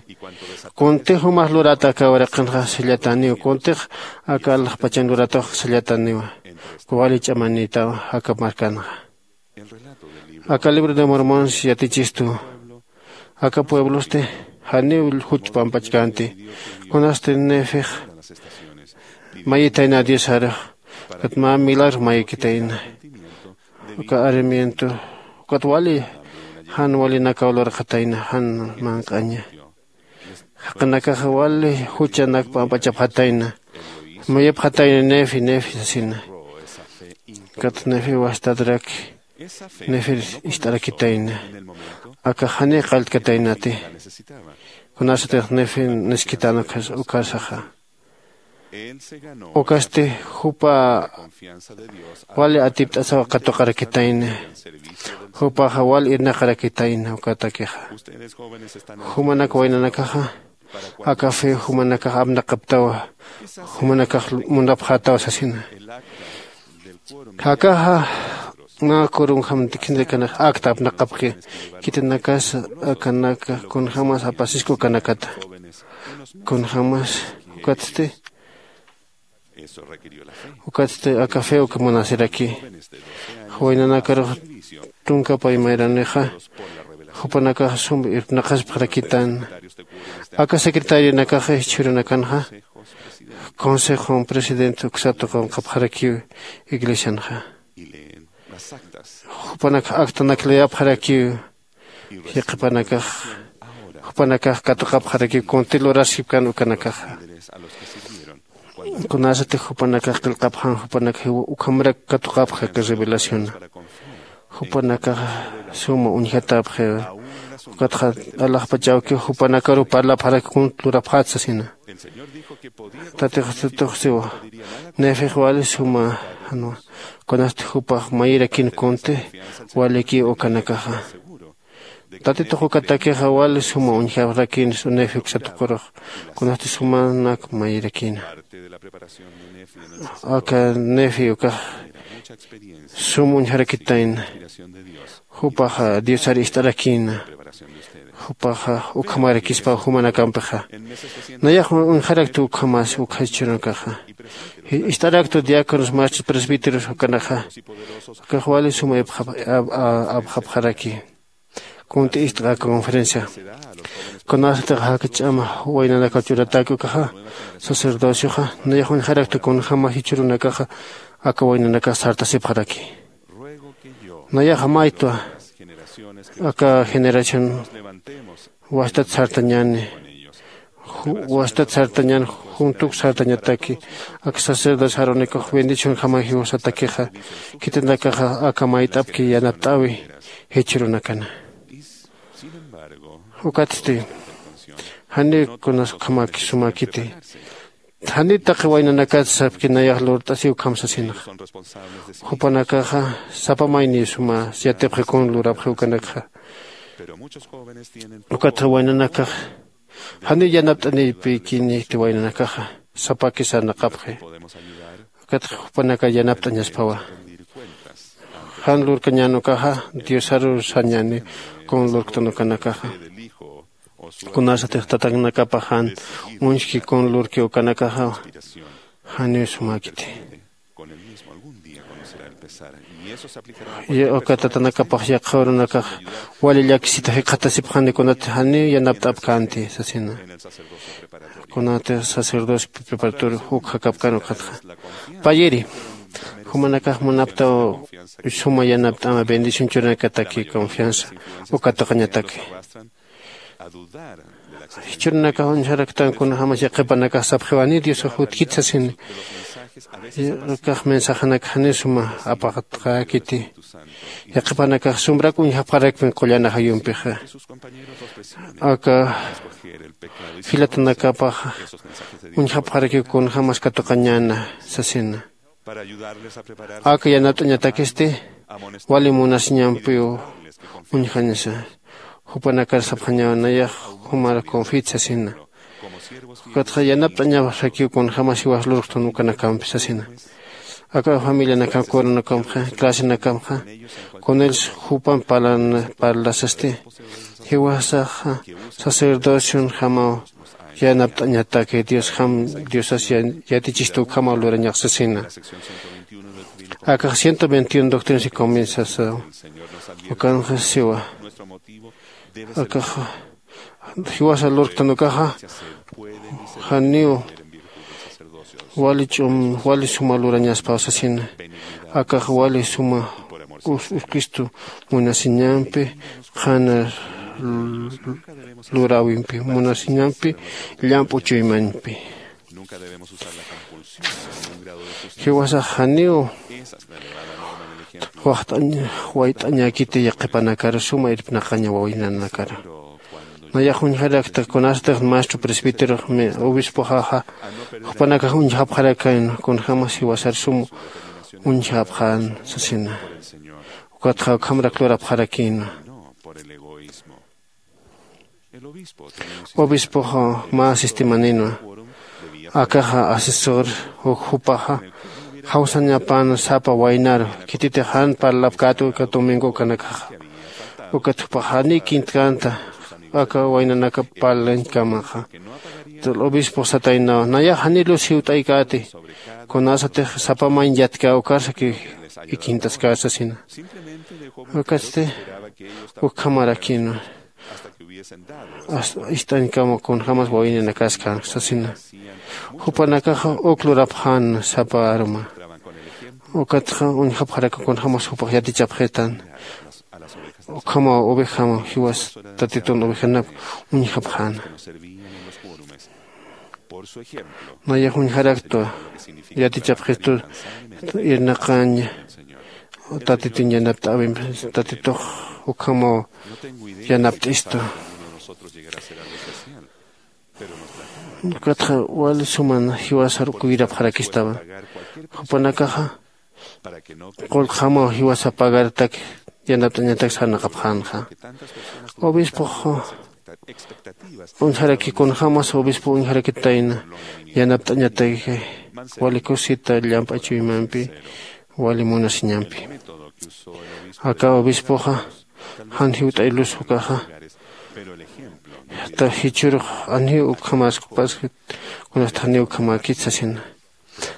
Kuntix jumax lurata aka uraqinxa sallataniw, kuntix aka alaxpachañ luratax sallataniwa. Wali ch'amanitaw aka markanxa. Aka libro de mormons yatichistu. Aka pueblosti janiw juch pampachkänti. Kunasti nefix mayitayna diosarux. Ukat mä milagro mayikitayna. Uka arimiento ukat wali jan walinakaw lurxatayna jan manq'aña. Jaqinakaxa wali juchanak pampachapxatayna. Mayipxatayna nefi nefi sasina. Ukat nefi wastatrak nefir ist'arakitayna. Aka janiy qalltkataynati. Kunasatix nefi niskhitan ukarsaxa. Ukasti jupa wali atipt'asaw katuqarakitayna. Jupaxa wali irnaqarakitayna ukatakixa. Jumanak waynanakaxa aka fe jumanakax apnaqaptawa. Jumanakax munapxatawa sasina. Akaxa mä kurunjam tikhindikanax akta apnaqapki. Khitinakas akanaka kunjämas apasiska ukanakata. Kunjämas ukatsti ukatsti aka fe uka munasiraki. Waynanakarux tunka paymayranixa jupanakax sum irpnaqaspxarakitan. Aka secretarionakaxa jichhürunakanxa consejon presidente uksatuqunqapxarakiw iglesianxa. Jupanakax aktanak leyapxarakiw. Jiqhipanakax jupanakax katuqapxarakiw kunti luraskipkan ukanakaxa. Kunasatix jupanakax qillqapxan jupanakax jiwa ukhamarak katuqapxaka revelaciona. Jupanakaxa suma uñjatapxiwa. Ukatxa alaxpachawkiw jupanakaruw parlapxaraki kunt lurapxat sasina. Tatixtatuxsiwa nefix wali suma janwa. Kunasti jupax mayirakin kunti walikiw ukanakaxa. Tatitux ukatakixa wali suma uñjarakïn nefi uksatuqurux. Kunasti sumanak mayirakïna. Aka nefi ukax sum uñjarakitayna. Jupaxa diosar ist'arakïna. Jupaxa ukhamarakispa jumanakampixa. Nayax uñjaraktu ukhamas ukha jichhürunakaxa. Ist'araktu diáconos maestros presbíteros ukanaxa. Ukax wali suma apxapxaraki. Kunt'i ist'qa conferencia. Kunasatix jaka ch'ama waynanakaw churatäki ukaxa sacerdocioxa nayax uñjarakta kunjäma jichhürunakaxa aka waynanakax sartasipxaraki. Nayaxa maytwa aka generación wastat sartañäni. Wastat sartañän juntuk sartañataki. Aka sacerdocio arónicox bendicionjama jiwasatakixa khitinakaxa aka mayt'apki yanapt'äwi jichhürunakana. Ukatsti janiw kunas ukhamäki sumäkiti. Janiw taqi waynanakat sapki nayax lurt'asiw ukham sasinaxa. Jupanakaxa sapa mayniw suma yatipxi kun lurapxi ukanakxa. Ukatxa waynanakax janiw yanapt'anipïkïniti waynanakaxa. Sapaki sarnaqapxi. Ukatxa jupanaka yanapt'añaspawa. Jan lurkañän ukaxa diosaruw sañäni kun lurktan ukanakaxa. Kunasatix tatanakapax jan uñjki kun lurki ukanakaxa janiw sumäkiti. Uka tatanakapax yaqha urunakax wali llakisita jikxatasipxani kunat janiw yanapt'apkänti sasina. Kunatix sacerdocio preparator uk jakapkän ukatxa payiri jumanakax munaptaw suma yanapt'ama bendición churanakataki confianza uka tuqañataki. Jichhürunakax uñjaraktan kunjämas yaqhipanakax sapxiwani diosax jutkit sasini. Kax mensajanakax janiw suma apaqatqäkiti. Yaqhipanakax sumbrak uñjapxarakpin qullan ajayumpixa. Aka jilatanakapaxa uñjapxarakiw kunjämas katuqañäna sasina. Aka yanapt'añatakisti wali munasiñampiw uñjañasa. Jupanakar sapxañaw nayax jumar confit sasina. Ukatxa yanapt'añasakiw kunjämas jiwas lurktun ukanakampi sasina. Aka familianakam coronakampxa clasenakamxa kunils jupamp parlasasti. Jiwasaxa sacerdocion jamaw yanapt'añataki diosjam diosas yatichistu ukhamaw lurañax sasina. Akax ciento veintiuno doctrinas y convensasaw ukanxa siwa. Akaxa jiwasa lurktan ukaxa janiw wali ch'um wali suma lurañaspaw sasina. Akax wali suma uskistu munasiñampi qhana luräwimpi munasiñampi llamp'u chuymañpi. Jiwasax janiw waxt'añ wayt'añäkiti yaqhipanakar suma irpnaqaña wawaynanakar. Nayax uñjarakta kunasatix maestro presbíterox obispoxaxa jupanakax uñjapxarakan kunjämas jiwasar sum uñjapxän sasina. Ukatxa ukhamrak lurapxarakïnwa. Obispoxa mä sistemanïnwa. Akaxa asesor uk jupaxa jawsañapan sapa waynaru khititix jan parlapkätu uka domingo ukanakaxa. Ukat jupax janiy kintkänta aka waynanakap parlañkamaxa. Obispox sataynaw nayax janiy lus jiwt'aykäti kunasatix sapa mañ yatkä ukarsakiw ikintaskä sasina. Ukatsti ukhamarakïnwa. Ist'añkama kunjämas wawininakas kän sasina. Jupanakaxa uk lurapxän sapa arma. Ukatxa uñjapxaraka kunjämas jupax yatichapxitan. Ukhamaw ovejam jiwas tatitun ovejanap uñjapxäna. Nayax uñjaraktwa yatichapxistu irnaqaña. Tatitun yanapt'äwimpi tatitux ukhamaw yanapt'istu. Ukatxa wali suman jiwasar uka wirapxarakistawa. Jupanakaxa qullqjamaw jiwasa pagartak yanapt'añatak sarnaqapxänxa. Obispox uñjaraki kunjämas obispo uñjarakitayna yanapt'añatak wali kusita llamp'a chuymampi wali munasiñampi. Aka obispoxa jan jiwt'ay lus ukaxa jichhürux janiw ukhamäskupas kunasta janiw ukhamäkit sasina.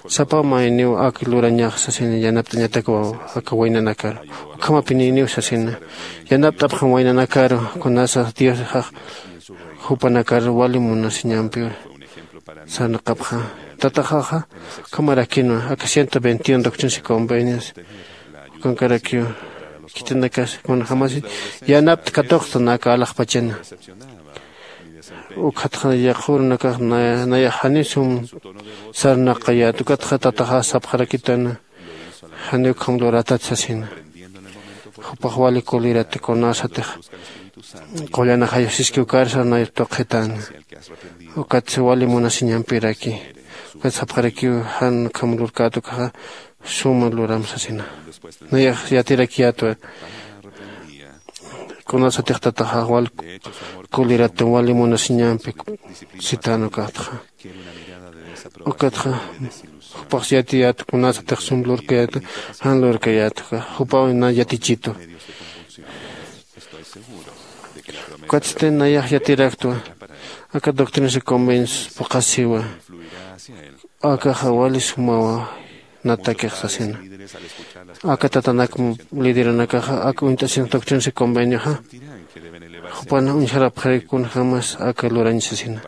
Sapa mayniw ak lurañax sasina yanapt'añatak aka waynanakar ukhamapinïniw sasina. Yanapt'apxam waynanakar kunasa diosax jupanakar wali munasiñampi sarnaqapxa. Tataxaxa ukhamarakinwa aka ciento veintiuno doctrinas y convenios ukankarakiw khitinakas kunjämasi yanapt'a katuqta naka alaxpachana. Ukatxa yaqhürunakax nayax janiw sum sarnaqayät ukatxa tataxax sapxarakitana. Janiw ukham luratat sasina. Jupax wali kulirati kunasatix qullan ajayusiski ukarsa nay tuqhitäna. Ukatsa wali munasiñampiraki ukat sapxarakiw jan ukham lurkät ukaxa suma luram sasina. Nayax yatirakiyätwa kunasatix tataxax wal kulirata wali munasiñampi sitän ukatxa. Ukatxa jupax yatiyät kunasatix sum lurkayät jan lurkayät ukax jupaw na yatichitu. Ukatsti nayax yatiraktwa aka doctrinas y convenios phuqhasiwa. Akaxa wali sumawa natakix sasina. Aka tatanak lideranakaxa aka uñt'asinas doctrinas y convenioxa jupan uñjarapxarak kunjämas aka lurañ sasina.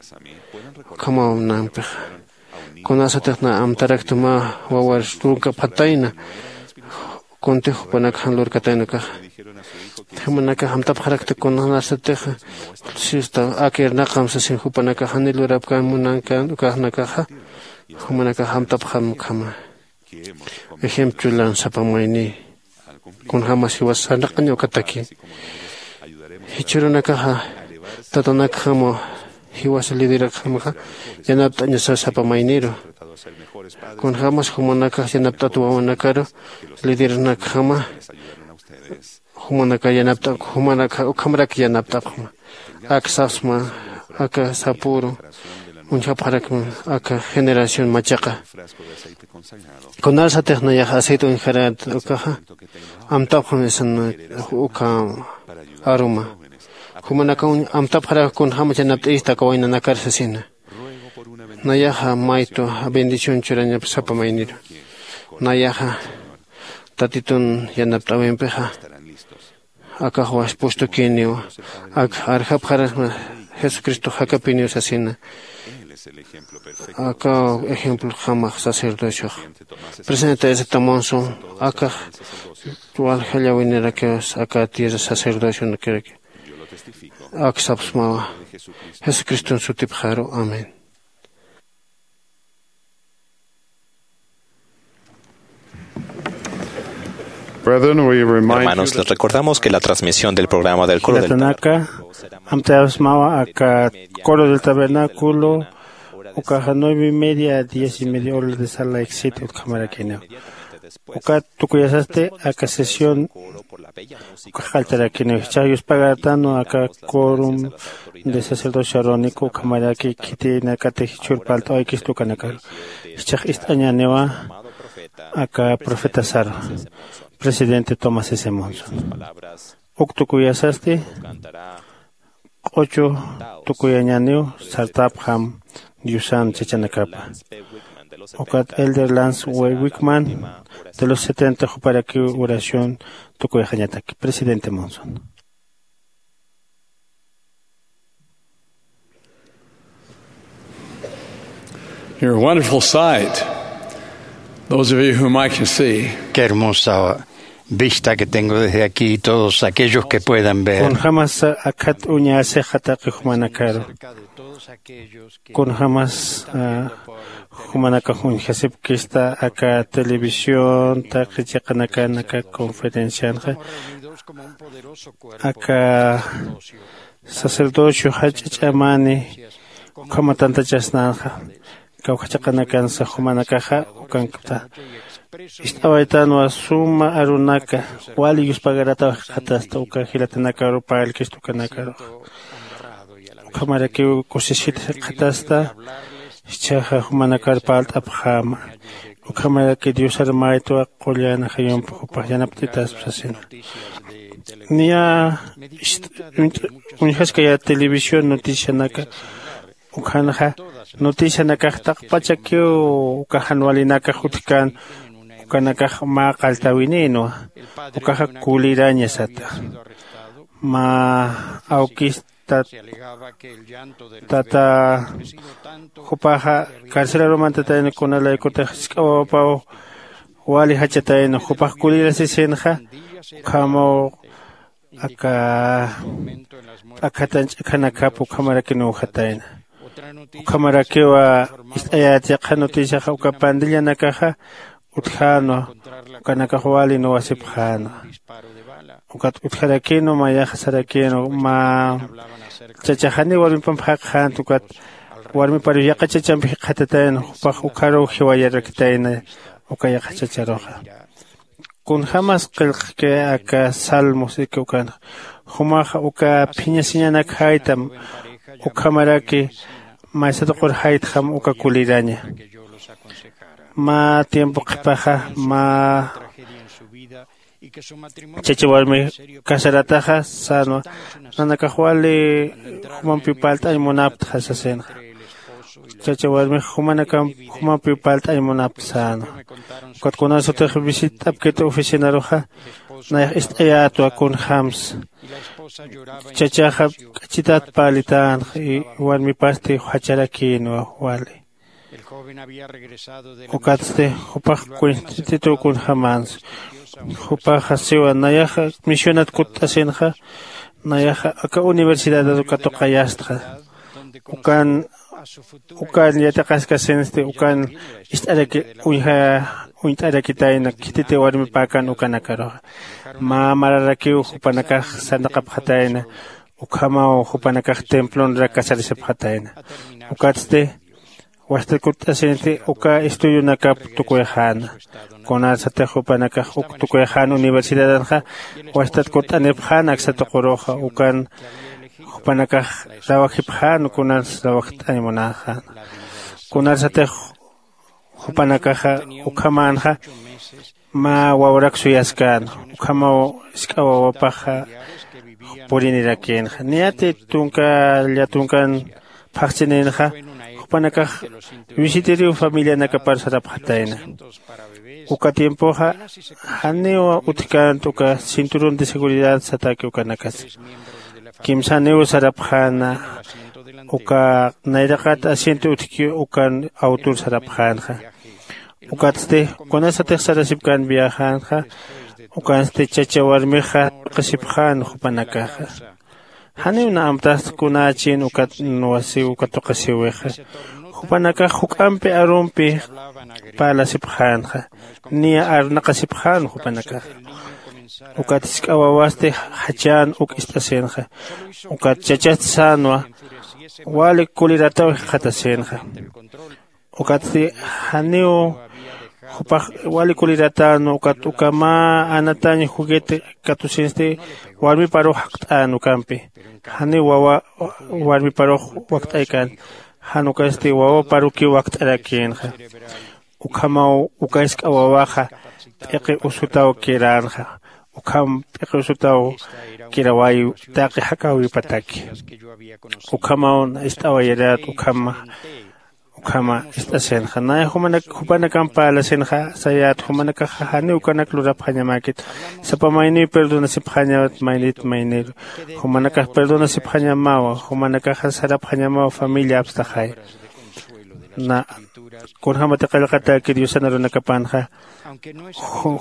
Ukhamaw nampixa kunasatix na amtarakta mä wawar lurkapxatayna. Kuntix jupanak jan lurkatayna ukaxa jumanakax amtapxarakta kunasatix sista ak irnaqam sasin jupanakax janiy lurapkän munankän ukaxnakaxa jumanakax amtapxam ukhama. Ejemplo lansapamayni. Kunjämas jiwas sarnaqaña ukataki. Jichhürunakaxa tatanakjama jiwas liderakjamaxa yanapt'añasa sapamayniru. Kunjämas jumanakax yanapt'at wawanakaru lideranakjama jumanaka yanapt'apxma jumanaka ukhamarak yanapt'apxma. Ak sapsma aka sapüru uñjapxarakma aka generación machaqa. Kunarsatix nayax aceite uñjarat ukaxa amtapxam isan uka aruma. Jumanaka amtapxarak kunjämas yanapt'ista aka waynanakar sasina. Nayaxa maytu bendición churañap sapamayniru. Nayaxa tatitun yanapt'awimpixa akaxwas pustukiniw ak arjapxarasma jesucristo jakapiniw sasina. Aka ejemplo jamax sacerdociox presidente ese tamonso akax walja llawinirakiwas aka tierra sacerdocionakiraki. Ak sapsmawa jesucriston sutipxaru. Amén. Brethren, we remind you Hermanos, les recordamos que la transmisión del programa del coro del jilatanaka amtayasmawa aka coro del tabernáculo ukaxa nueve y media a diez y media hora de sala exit utjamarakiniw. Ukat tukuyasasti aka sesión ukax qalltarakiniw jichhax yuspagartanwa aka quorum de sacerdocio arónico ukhamaraki khitinakatix jichhür parlt'awaykista ukanakaru. Jichhax ist'añäniwa aka profetasarwa presidente tomás s monson. Uk tukuyasasti q'uchu tukuyañäniw sartapxam diosan chachanakapa. Ukat elder lance w wickman de los setenta juparakiw oración tukuyxañataki presidente monson. You're a wonderful sight. Those of you whom I can see. Qué hermosa vista que tengo desde aquí, todos aquellos que puedan ver. Kunjämas akhat uñasixataki jumanakaru. Kunjämas jumanakax uñjasipkista aka televisión taqi chiqanakan aka conferencianxa aka sacerdocio jach'a ch'amani ukhama tantachasnanxa kawkha chiqanakansa jumanakaxa ukankta. Ist'awaytanwa suma arunaka wali yuspagarataw jikxatasta uka jilatanakaru parlkista ukanakarux. Ukhamarakiw kusisit jikxatasta jichhaxa jumanakar parlt'apxäma. Ukhamaraki diosar maytwa qullan jayump jupax yanapt'itaspa sasina. Niya uñjaskaya televisión noticianaka ukhanxa noticianakax taqpachakiw uka jan walinakax utjkän ukanakax mä qalltäwinïnwa. Ukaxa kuliraña sata mä awkista tata jupaxa carcelarumantatayna kunalaykutix jisk'a wawapaw wali jachatayna jupax kulirasisinxa ukhamaw aka p'akhatan ch'akhanakap ukhamarakin uwjatayna. Ukhamarakiwa ist'ayät yaqha noticiaxa uka pandillanakaxa utjänwa ukanakax wali nuwasipxänwa. Ukat utjarakinwa mayaxa sarakinwa mä chachaxaniw warmipamp jaqxänti ukat warmipariw yaqha chachamp jikxatatayna jupax ukharuw jiwayarakitayna uka yaqha chacharuxa. Kunjämas qillqki aka salmos iki ukanxa jumaxa uka phiñasiñanak jaytam ukhamaraki maysatuqur jaytxam uka kuliraña. Mä tiempo qhipaxa mä chacha warmi casarataxa sänwa nanakax wali jumampiw parlt'añ munaptxa sasinxa. Chacha warmix jumanakam jumampiw parlt'añ munapta sänwa. Ukat kunarsatix visitt'apkit oficinaruxa nayax ist'ayätwa kunjämsa chachaxa k'achitat parlitänxa y warmipasti jacharakïnwa wali. Ukatsti jupax kuñst'itituw kunjämänsa. Jupaxa siwa nayaxa misionat kutt'asinxa nayaxa aka universidadat katuqayastxa. Ukan ukan yatiqaskasinsti ukan ist'araki uñja uñt'arakitayna khititi warmipäkan ukanakaruxa. Mä mararakiw jupanakax sarnaqapxatayna. Ukhamaw jupanakax templonrak casarasipxatayna. Ukatsti wajtat kutt'asinti uka estudionakap tukuyxäna. Kunarsatix jupanakax uk tukuyxän universidadanxa wajtat kutt'anipxän aksa tuquruxa ukan jupanakax rawajipxän kunas rawajt'añ munäxäna. Kunarsatix jupanakaxa ukhamänxa mä wawrak suyaskäna. Ukhamaw jisk'a wawapaxa purinirakïnxa niyati tunka llatunkan phaxchininxa jupanakax visiteriw familianakapar sarapxatayna. Uka tiempoxa janiw utjkänti uka cinturón de seguridad satäki ukanakas. Kimsaniw sarapxäna uka nayraqat asiento utjki ukan autor sarapxänxa. Ukatsti kunasatix sarasipkän viajanxa ukansti chacha warmixa tuqisipxän jupanakaxa. Janiw na amtaxta kunächin ukat nuwasiw uka tuqisiwixa. Jupanakax juk'ampi arumpi parlasipxänxa niya arnaqasipxän jupanakaxa. Ukat jisk'a wawasti jachän uk ist'asinxa. Ukat chachast sänwa wali kulirataw jikxatasinxa. Ukatsti janiw jupax wali kuliratänwa ukat uka mä anatañ juguete katusinsti warmiparux jakt'än ukampi. Janiw wawa warmiparux wakt'aykän jan ukasti wawaparukiw wakt'arakïnxa. Ukhamaw uka jisk'a wawaxa p'iqi usutaw kiränxa. Ukham p'iqi usutaw kirawayiw taqi jakäwipataki. Ukhamaw na ist'awayirät ukhama ukhama ist'asinxa nay jupanakamp parlasinxa sayät jumanakaxa janiw ukanak lurapxañamäkit. Sapa mayniw perdonasipxañawat maynit mayniru jumanakax perdonasipxañamawa jumanakaxa sarapxañamawa familia apstaxay. Na kunjämati qillqatäki diosan arunakapanxa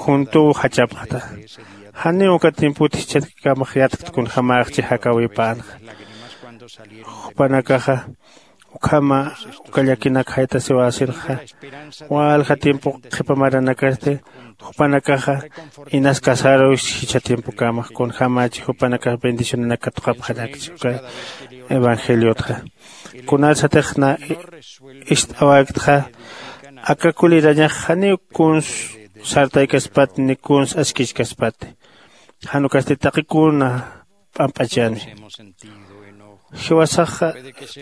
juntuw jachapxta. Janiw uka tiempot jichhatkamax yatkta kunjämäxchi jakäwipänxa. Jupanakaxa ukhama uka llakinak jaytasiwäsinxa walja tiempo qhipa maranakasti jupanakaxa inas casaruw jichha tiempokamax kunjämächi jupanakax bendicionanak katuqapxarakchi uka evangeliotxa. Kunarsatix na ist'awäktxa aka kulirañax janiw kuns sartaykaspati ni kuns askichkaspati. Jan ukasti taqi kuna p'amp'achani. Jiwasaxa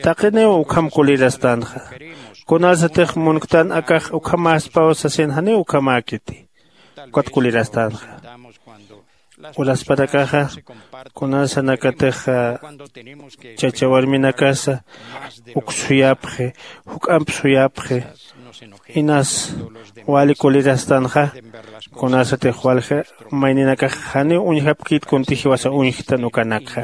taqiniw ukham kulirastänxa. Kunarsatix munktan akax ukhamäspaw sasin janiw ukhamäkiti. Ukat kulirastänxa uraspanakaxa kunarsanakatix chacha warminakasa uk suyapxi juk'amp suyapxi. Inas wali kulirastanxa kunarsatix walja mayninakax janiw uñjapkit kunti jiwasa uñjtan ukanakxa.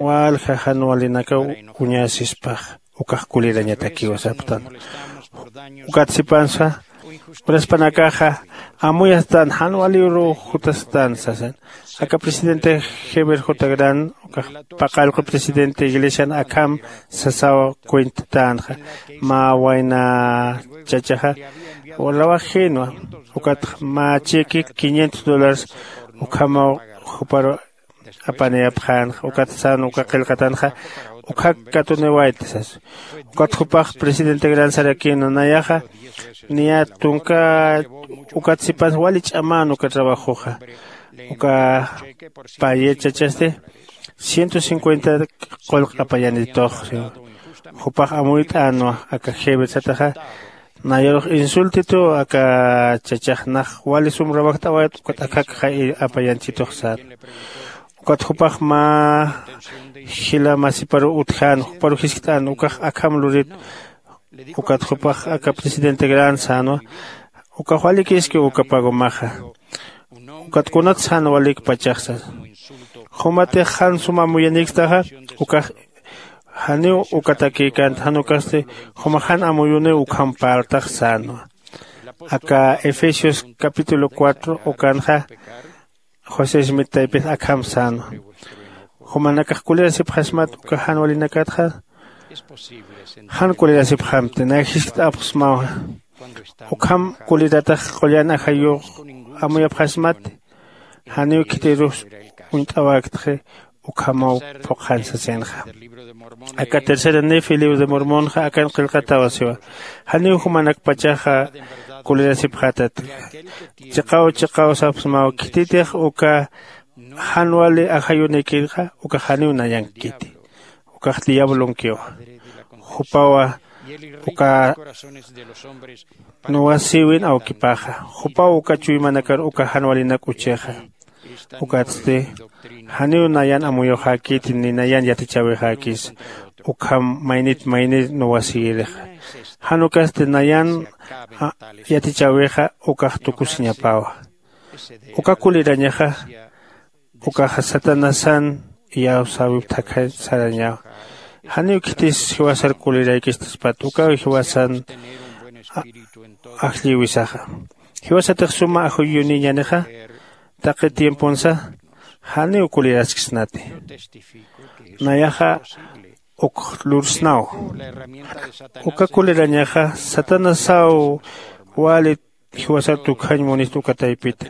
Walja jan walinakaw uñasispax ukax kulirañatakiw saptan. Ukat sipansa uraspanakaxa amuyastan jan waliruw jutastan sasan. Aka presidente heber j gran ukax paqallqu presidente iglesian akham sasaw cuentatänxa. Mä wayna chachaxa rawajinwa. Ukatx mä cheque quinientos dólares ukhamaw juparu apaniyapxänxa ukat sän uka qillqatanxa ukhak katuniwayta sas. Ukat jupax presidente gran sarakïnwa nayaxa niya tunka ukat sipansa wali ch'amän uka trabajoxa. Uka payet chachasti ciento cincuenta qullq apayanitux. Jupax amuyt'änwa aka jever sataxa nayarux insultituw aka chachax nax wali sum rawajt'awayt ukat akhakxa apayanchitux sän. Ukat jupax mä jila masiparu utjän juparu jiskt'än ukax akham lurit. Ukat jupax aka presidente gran sänwa ukax walikiski uka pagomaxa. Ukat kunat sän walik pachaxsa jumatix jan suma amuyanikstaxa ukax janiw ukatakïkänti jan ukasti jumax jan amuyuniw ukham parltax sänwa. Aka efesios capítulo cuatro ukanxa josé smit taypix akham sänwa. Jumanakax kulirasipxasmat uka jan walinakatxa jan kulirasipxamti nay jiskt'apxsmawa. Ukham kuliratax qullan ajayux amuyapxasmat. Janiw khitirus uñt'awaktxi. Ukhamaw phuqhan sasinxa. Aka tercera nefi libro de mormonxa akan qillqatawa siwa. Janiw jumanakpachaxa kulirasipxätat. Chiqaw chiqaw sapsmaw khititix uka jan wali ajayunïkirxa ukax janiw nayankiti. Ukax diablonkiwa. Jupawa uka nuwasïwin awkipaxa. Jupaw uka chuymanakar uka jan walinak uchixa. Ukatsti janiw nayan amuyuxäkiti ni nayan yatichäwixäkis. Ukham maynit maynit nuwasïrixa. Jan ukasti nayan yatichäwixa ukax tukusiñapäwa. Uka kulirañaxa ukaxa satanasan iyawsäwip thakhañ sarañawa. Janiw khitis jiwasar kuliraykistaspati ukaw jiwasan ajllïwisaxa. Jiwasatix suma ajuyuniñänixa taqi tiemponsa janiw kuliraskisnati. Nayaxa uk lursnaw. Uka kulirañaxa satanasaw wali jiwasar tukjañ munista uka taypita.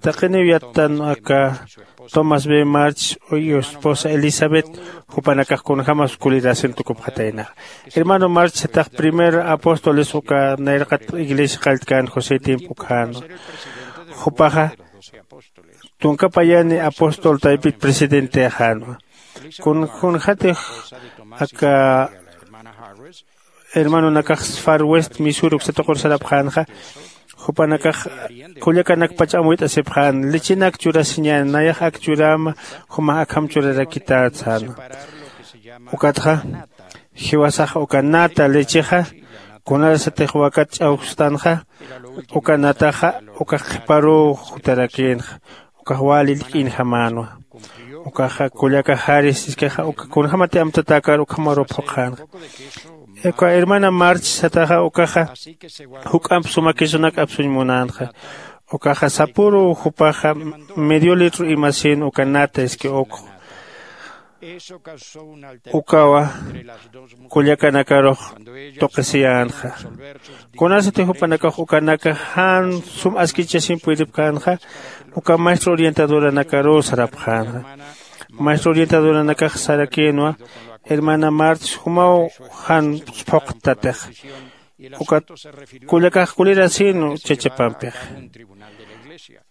Taqiniw yattan aka tomás b march y esposa elizabeth jupanakax kunjämas kulirasin tukupxataynaxa. Hermano march satax primer apóstoles uka nayraqat iglesia qalltkän josé tiempo ukjänwa. Jupaxa tunka payani apóstol taypit presidentexänwa. Kunjatix aka hermanonakax far west misur uksatuqur sarapxänxa. Jupanakax kullakanakpach amuyt'asipxän lechenak churasiñän nayax ak churäma jumax akham churarakitätsänwa. Ukatxa jiwasax uka nata lechexa kunarasatix wakat ch'awkstanxa uka nataxa ukax qhiparuw jutarakïnxa. Ukax wali illk'injamänwa. Ukaxa kullakaxaris iskaxa uka kunjämati amtatäkar ukhamaruw phuqhänxa. Uka hermana march sataxa ukaxa juk'amp sumakisunak apsuñ munänxa. Ukaxa sapüruw jupaxa medio litro imasïn uka nata iski ukx ukawa kullakanakarux tuqisiyänxa. Kunasati jupanakax ukanaka jan sum askichasin puydipkänxa. Uka maestro orientadoranakaruw sarapxänxa. Maestro orientadoranakax sarakïnwa hermana march jumaw jan phuqtatix. Ukat kullakax kulirasïnw chachapampix.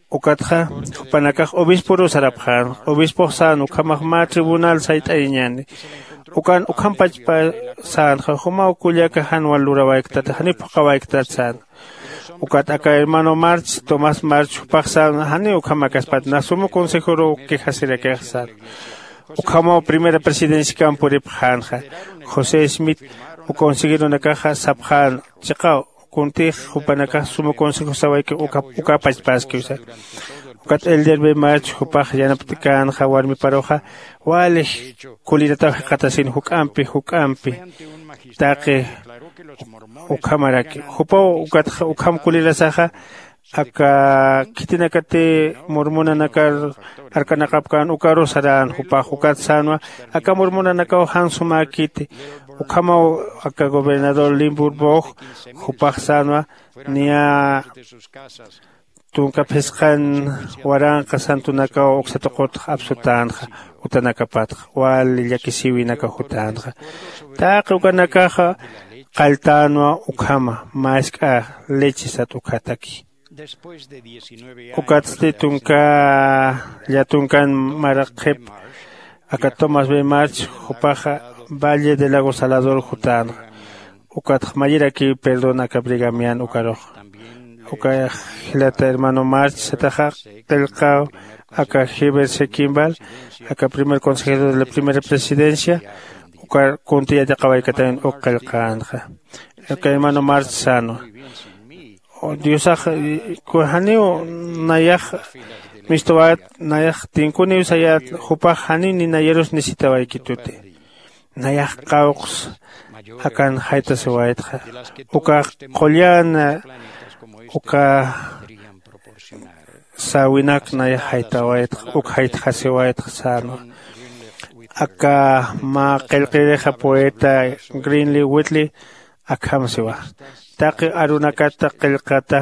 Ukatxa jupanakax obisporu sarapxän. Obispux sän ukhamax mä tribunal sayt'ayañäni. Ukan ukhampachpa sänxa jumaw kullaka jan wal lurawayktata janiw phuqhawayktata sän. Ukat aka hermano march tomás march jupax sän janiw ukhamakaspat na sumu consejoruw quejasirakix sän. Ukhamaw primera presidenciakamp puripxänxa. José smith uka consejeronakaxa sapxän chiqaw kuntix jupanakax suma consejo sawayki uka pachpaskiw sasa. Ukat elder bemach jupax yanapt'känxa warmiparuxa wali kulirataw jikxatasin juk'ampi juk'ampi taqi ukhamaraki. Jupaw ukatxa ukham kulirasaxa aka khitinakati mormonanakar arkanaqapkän ukaru sarän jupax ukat sänwa aka mormonanakaw jan sumäkiti. Ukhamaw aka gobernador limburbox jupax sänwa niya tunka phisqan waranqa santunakaw uksatuqutx apsutänxa utanakapatxa wali llakisïwinakaw jutänxa. Taqi ukanakaxa qalltänwa ukhama mask'a leche sat ukhataki. Ukatsti tunka llatunkan maraqhip aka tomás bemach jupaxa valle de lago salador jutänxa. Ukatx mayirakiw perdón aka brigamian ukarux. Uka jilata hermano march sataxa qillqaw aka heber sequimbal aka primer consejero de la primera presidencia ukar kunti yatiqawaykatayan uk qillqänxa. Aka hermano march sänwa diosax janiw nayax mistwat nayax tinkuniw sayat jupax janiw ni nayarus nisitawaykituti. Nayax qawqs akan jaytasiwaytxa ukax qullan uka säwinak nayax jaytawaytxa uk jaytxasiwaytxa sänwa. Aka mä qillqirixa poeta greenly whitley Akham siwa, taqi arunakata qillqata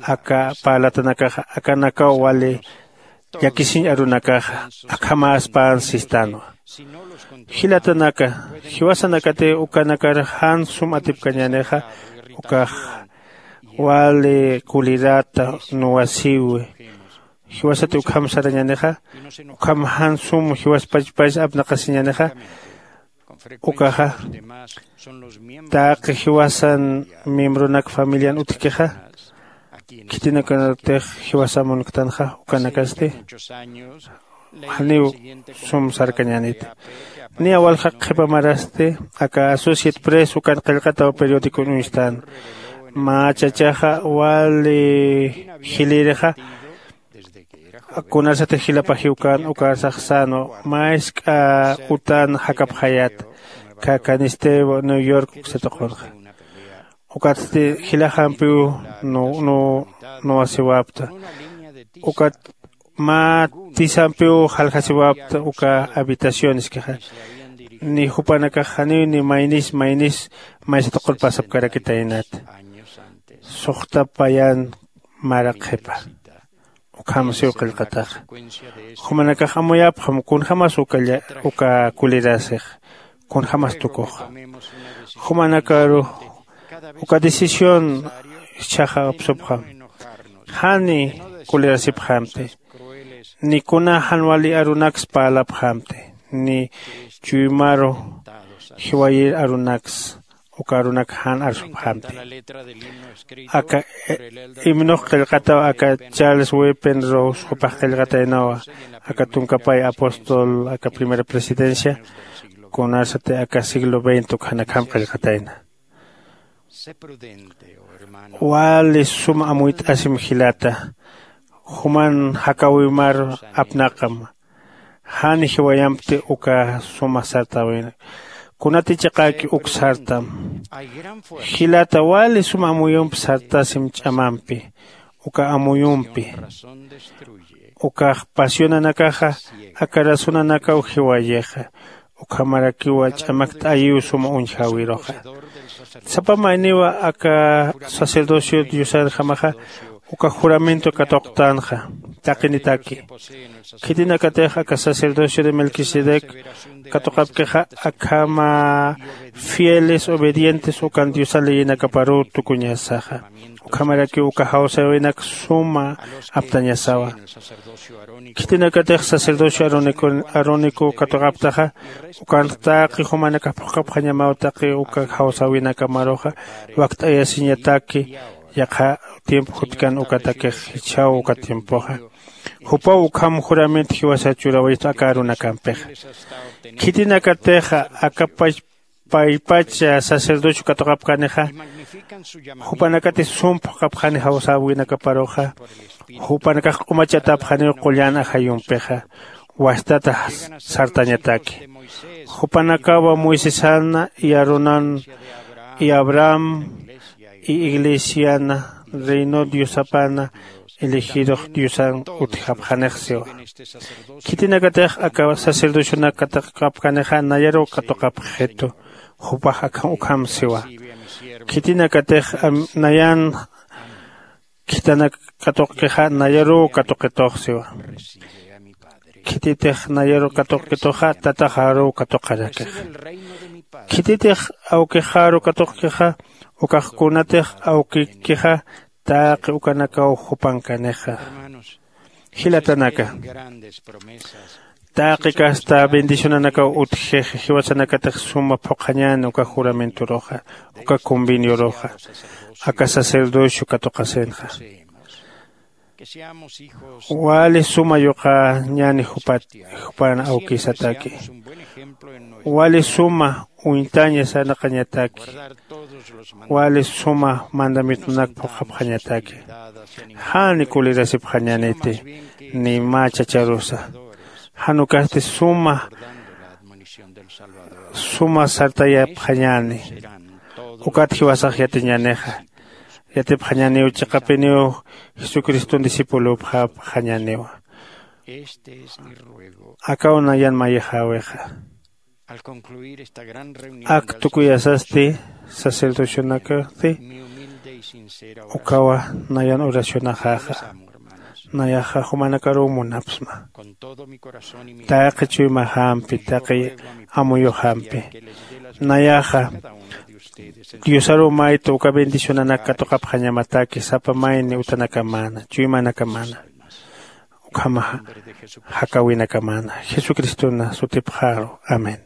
aka parlatanakaxa akanakaw wali llakisiñ arunakaxa akhamäspan sistanwa. Jilatanaka, jiwasanakatix ukanakar jan sum atipkañänixa ukax wali kulirata nuwasiwi. Jiwasati ukham sarañänixa ukham jan sum jiwaspachpas apnaqasiñänixa ukaxa taqi jiwasan miembronak familian utjkixa khitinakanatix jiwasa munktanxa ukanakasti janiw sum sarkañäniti. Niya walja qhipa marasti aka associate press ukan qillqataw periódicon uñstan mä chachaxa wali jilïrixa kunasatix jilapajiw kan ukarsax sänwa mä jisk'a utan jakapxayät. Kakanistïwa new york uksataqunxa ukatsti jilajampiw nuwasiwapta ukat mä tisampiw jaljasiwapta uka habitacioneskixa ni jupanakax janiw ni maynis maynis maysataqur pasapkarakitaynat. Suxta payan mara qhipa ukham siw qillqataxa jumanakax amuyapxam kunjämas uka kulirasix kunjämas tukuxa jumanakaru uka decisión jichhaxa apsupxam. Jani kulirasipxamti ni kuna jan wali arunaks parlapxamti ni chuymaru jiwayir arunaks uka arunak jan arsupxamti. Aka himnox qillqataw aka charles wepen rose jupax qillqataynawa aka tunkapay apóstol aka primera presidencia kunasati aka siglo veinte ukjanakham qillqatayna. Wali suma amuyt'asim jilata juman jakäwimar apnaqam. Jan jiwayampti uka suma sartäwina kunati chiqäki uk sartam. Jilata wali suma amuyump sartasim ch'amampi uka amuyumpi ukax pasionanakaxa aka razonanakaw jiwayixa ukhamarakiwa ch'amakt'ayiw suma uñjäwiruxa. Sapa mayniwa aka sacerdocio diosanjamaxa uka juramento katuqtänxa taqinitaki khitinakatix aka sacerdocio de melquisedec katuqapkixa akhama fieles obedientes ukan diosa leyinakaparuw tukuñasaxa. Ukhamarakiw uka jawsäwinak suma aptañasawa. Khitinakatix sacerdocio arónico katuqaptaxa ukanx taqi jumanakax phuqhapxañamaw taqi uka jawsäwinakamaruxa wakt'ayasiñataki. Yaqha tiempo jutkan ukatakix jichhaw uka tiempoxa jupaw ukham juramento jiwasar churawaytu aka arunakampixa. Khitinakatixa aka pachpach sacerdocio katuqapkanixa jupanakati sum phuqhapxani jawsäwinakaparuxa jupanakax q'umachatapxaniw qullan ajayumpixa wastata sartañataki. Jupanakawa moisesana y aaronan y abraham y iglesiana reino diosapana elegirux diosan utjapxanix siwa. Khitinakatix aka sacerdocionak katuqapkanixa nayaruw katuqapxitu jupax akham ukham siwa. Khitinakatix nayan khitanak katuqkixa nayaruw katuqitux siwa. Khititix nayaruw katuqkituxa tataxaruw katuqarakixa. Khititix awkixaru katuqkixa ukax kunatix awkikixa taqi ukanakaw jupankanixa. Jilatanaka, taqi kasta bendicionanakaw utjixi jiwasanakatix suma phuqhañäni uka juramentoruxa uka convenioruxa aka sacerdocio katuqasinxa. Wali suma yuqañäni jupat jupan awkisataki. Wali suma uñtaña sarnaqañataki. Wali suma mandamientonak phuqhapxañataki. Jani kulirasipxañäniti ni mä chacharusa. Jan ukasti suma suma sartayapxañäni. Ukat jiwasax yatiñänixa. Yatipxañäniw chiqapiniw jesucriston discipulopxapxañäniwa. Akaw nayan mayixäwixa. Ak tukuyasasti sacerdocionakasti ukawa nayan oracionaxaxa. Nayaxa jumanakaruw munapsma taqi chuymaxampi taqi amuyuxampi. Nayaxa diosaruw mayta uka bendicionanak katuqapxañamataki sapa mayni utanakamäna chuymanakamana ukhamaxa jakawinakamana jesucristona sutipxaru. Amén.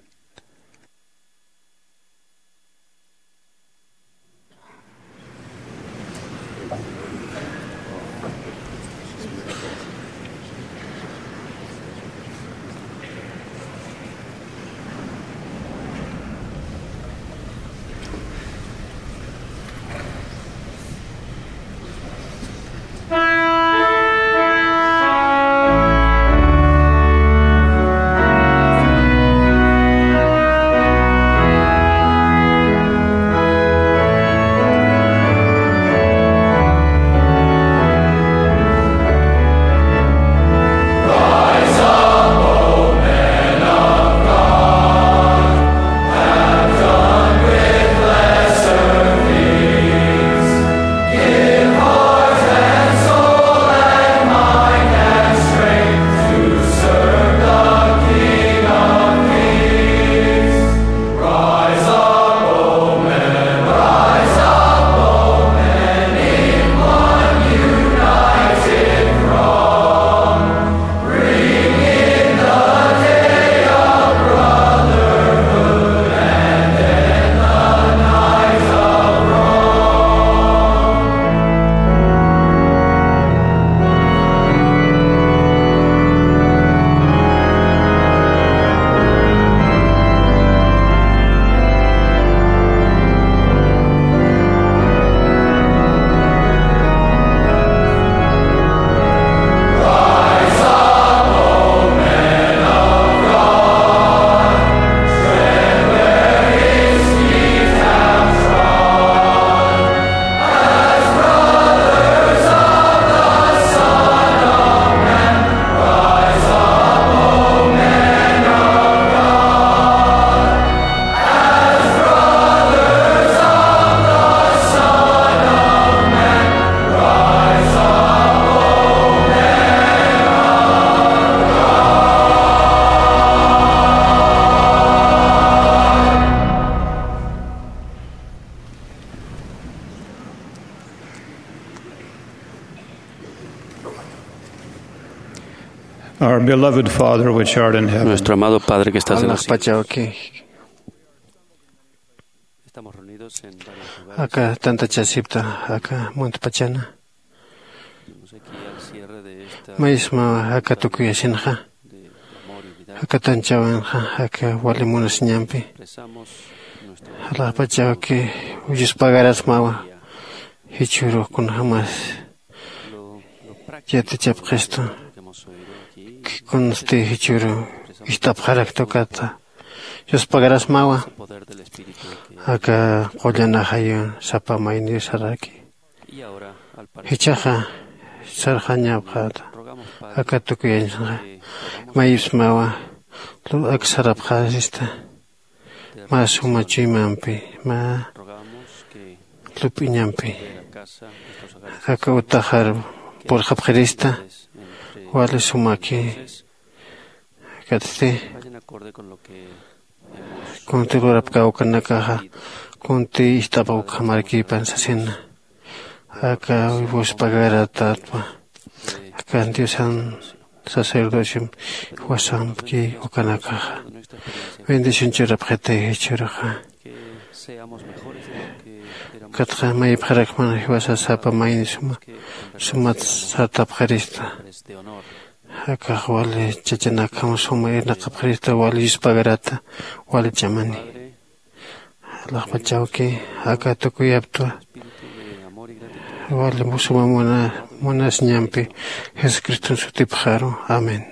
Our beloved Father, which art in heaven. Nuestro amado Padre que estás en los cielos. Aka tantachasipta aka muntpachana. Maysma aka tukuyasinxa aka tanchawinxa aka wali munasiñampi. Alaxpachawki ullspagarasmawa jichhürux kunjämas yatichapxistu. Kunsti jichhüru ist'apxarakta ukata yuspagarasmawa. Aka qullanaxayu sapa mayni saraki. Jichhaxa sarxañapxäta aka tukuyañsanxa mayipsmawa. Ak sarapxasista mä suma chuymampi mä lup'iñampi aka utaxar purxapxirista wali sumaki. Akatsti kunti lurapkäw ukanakaxa kunti ist'apxaw ukhamarkipan sasina. Aka wiwus pagaratatwa akan diosan sacerdociom jiwasampki ukanakaxa bendición churapxitay jichhüruxa. Ukatxa mayipxarakman jiwasa sapa mayni suma sumat sartapxirista. Akax wali chachanakjam suma irnaqapxirista wali yuspagarata wali ch'amani. Alaxpachawki aka tukuyaptwa wali suma munasiñampi jesucriston sutipxaru. Amén.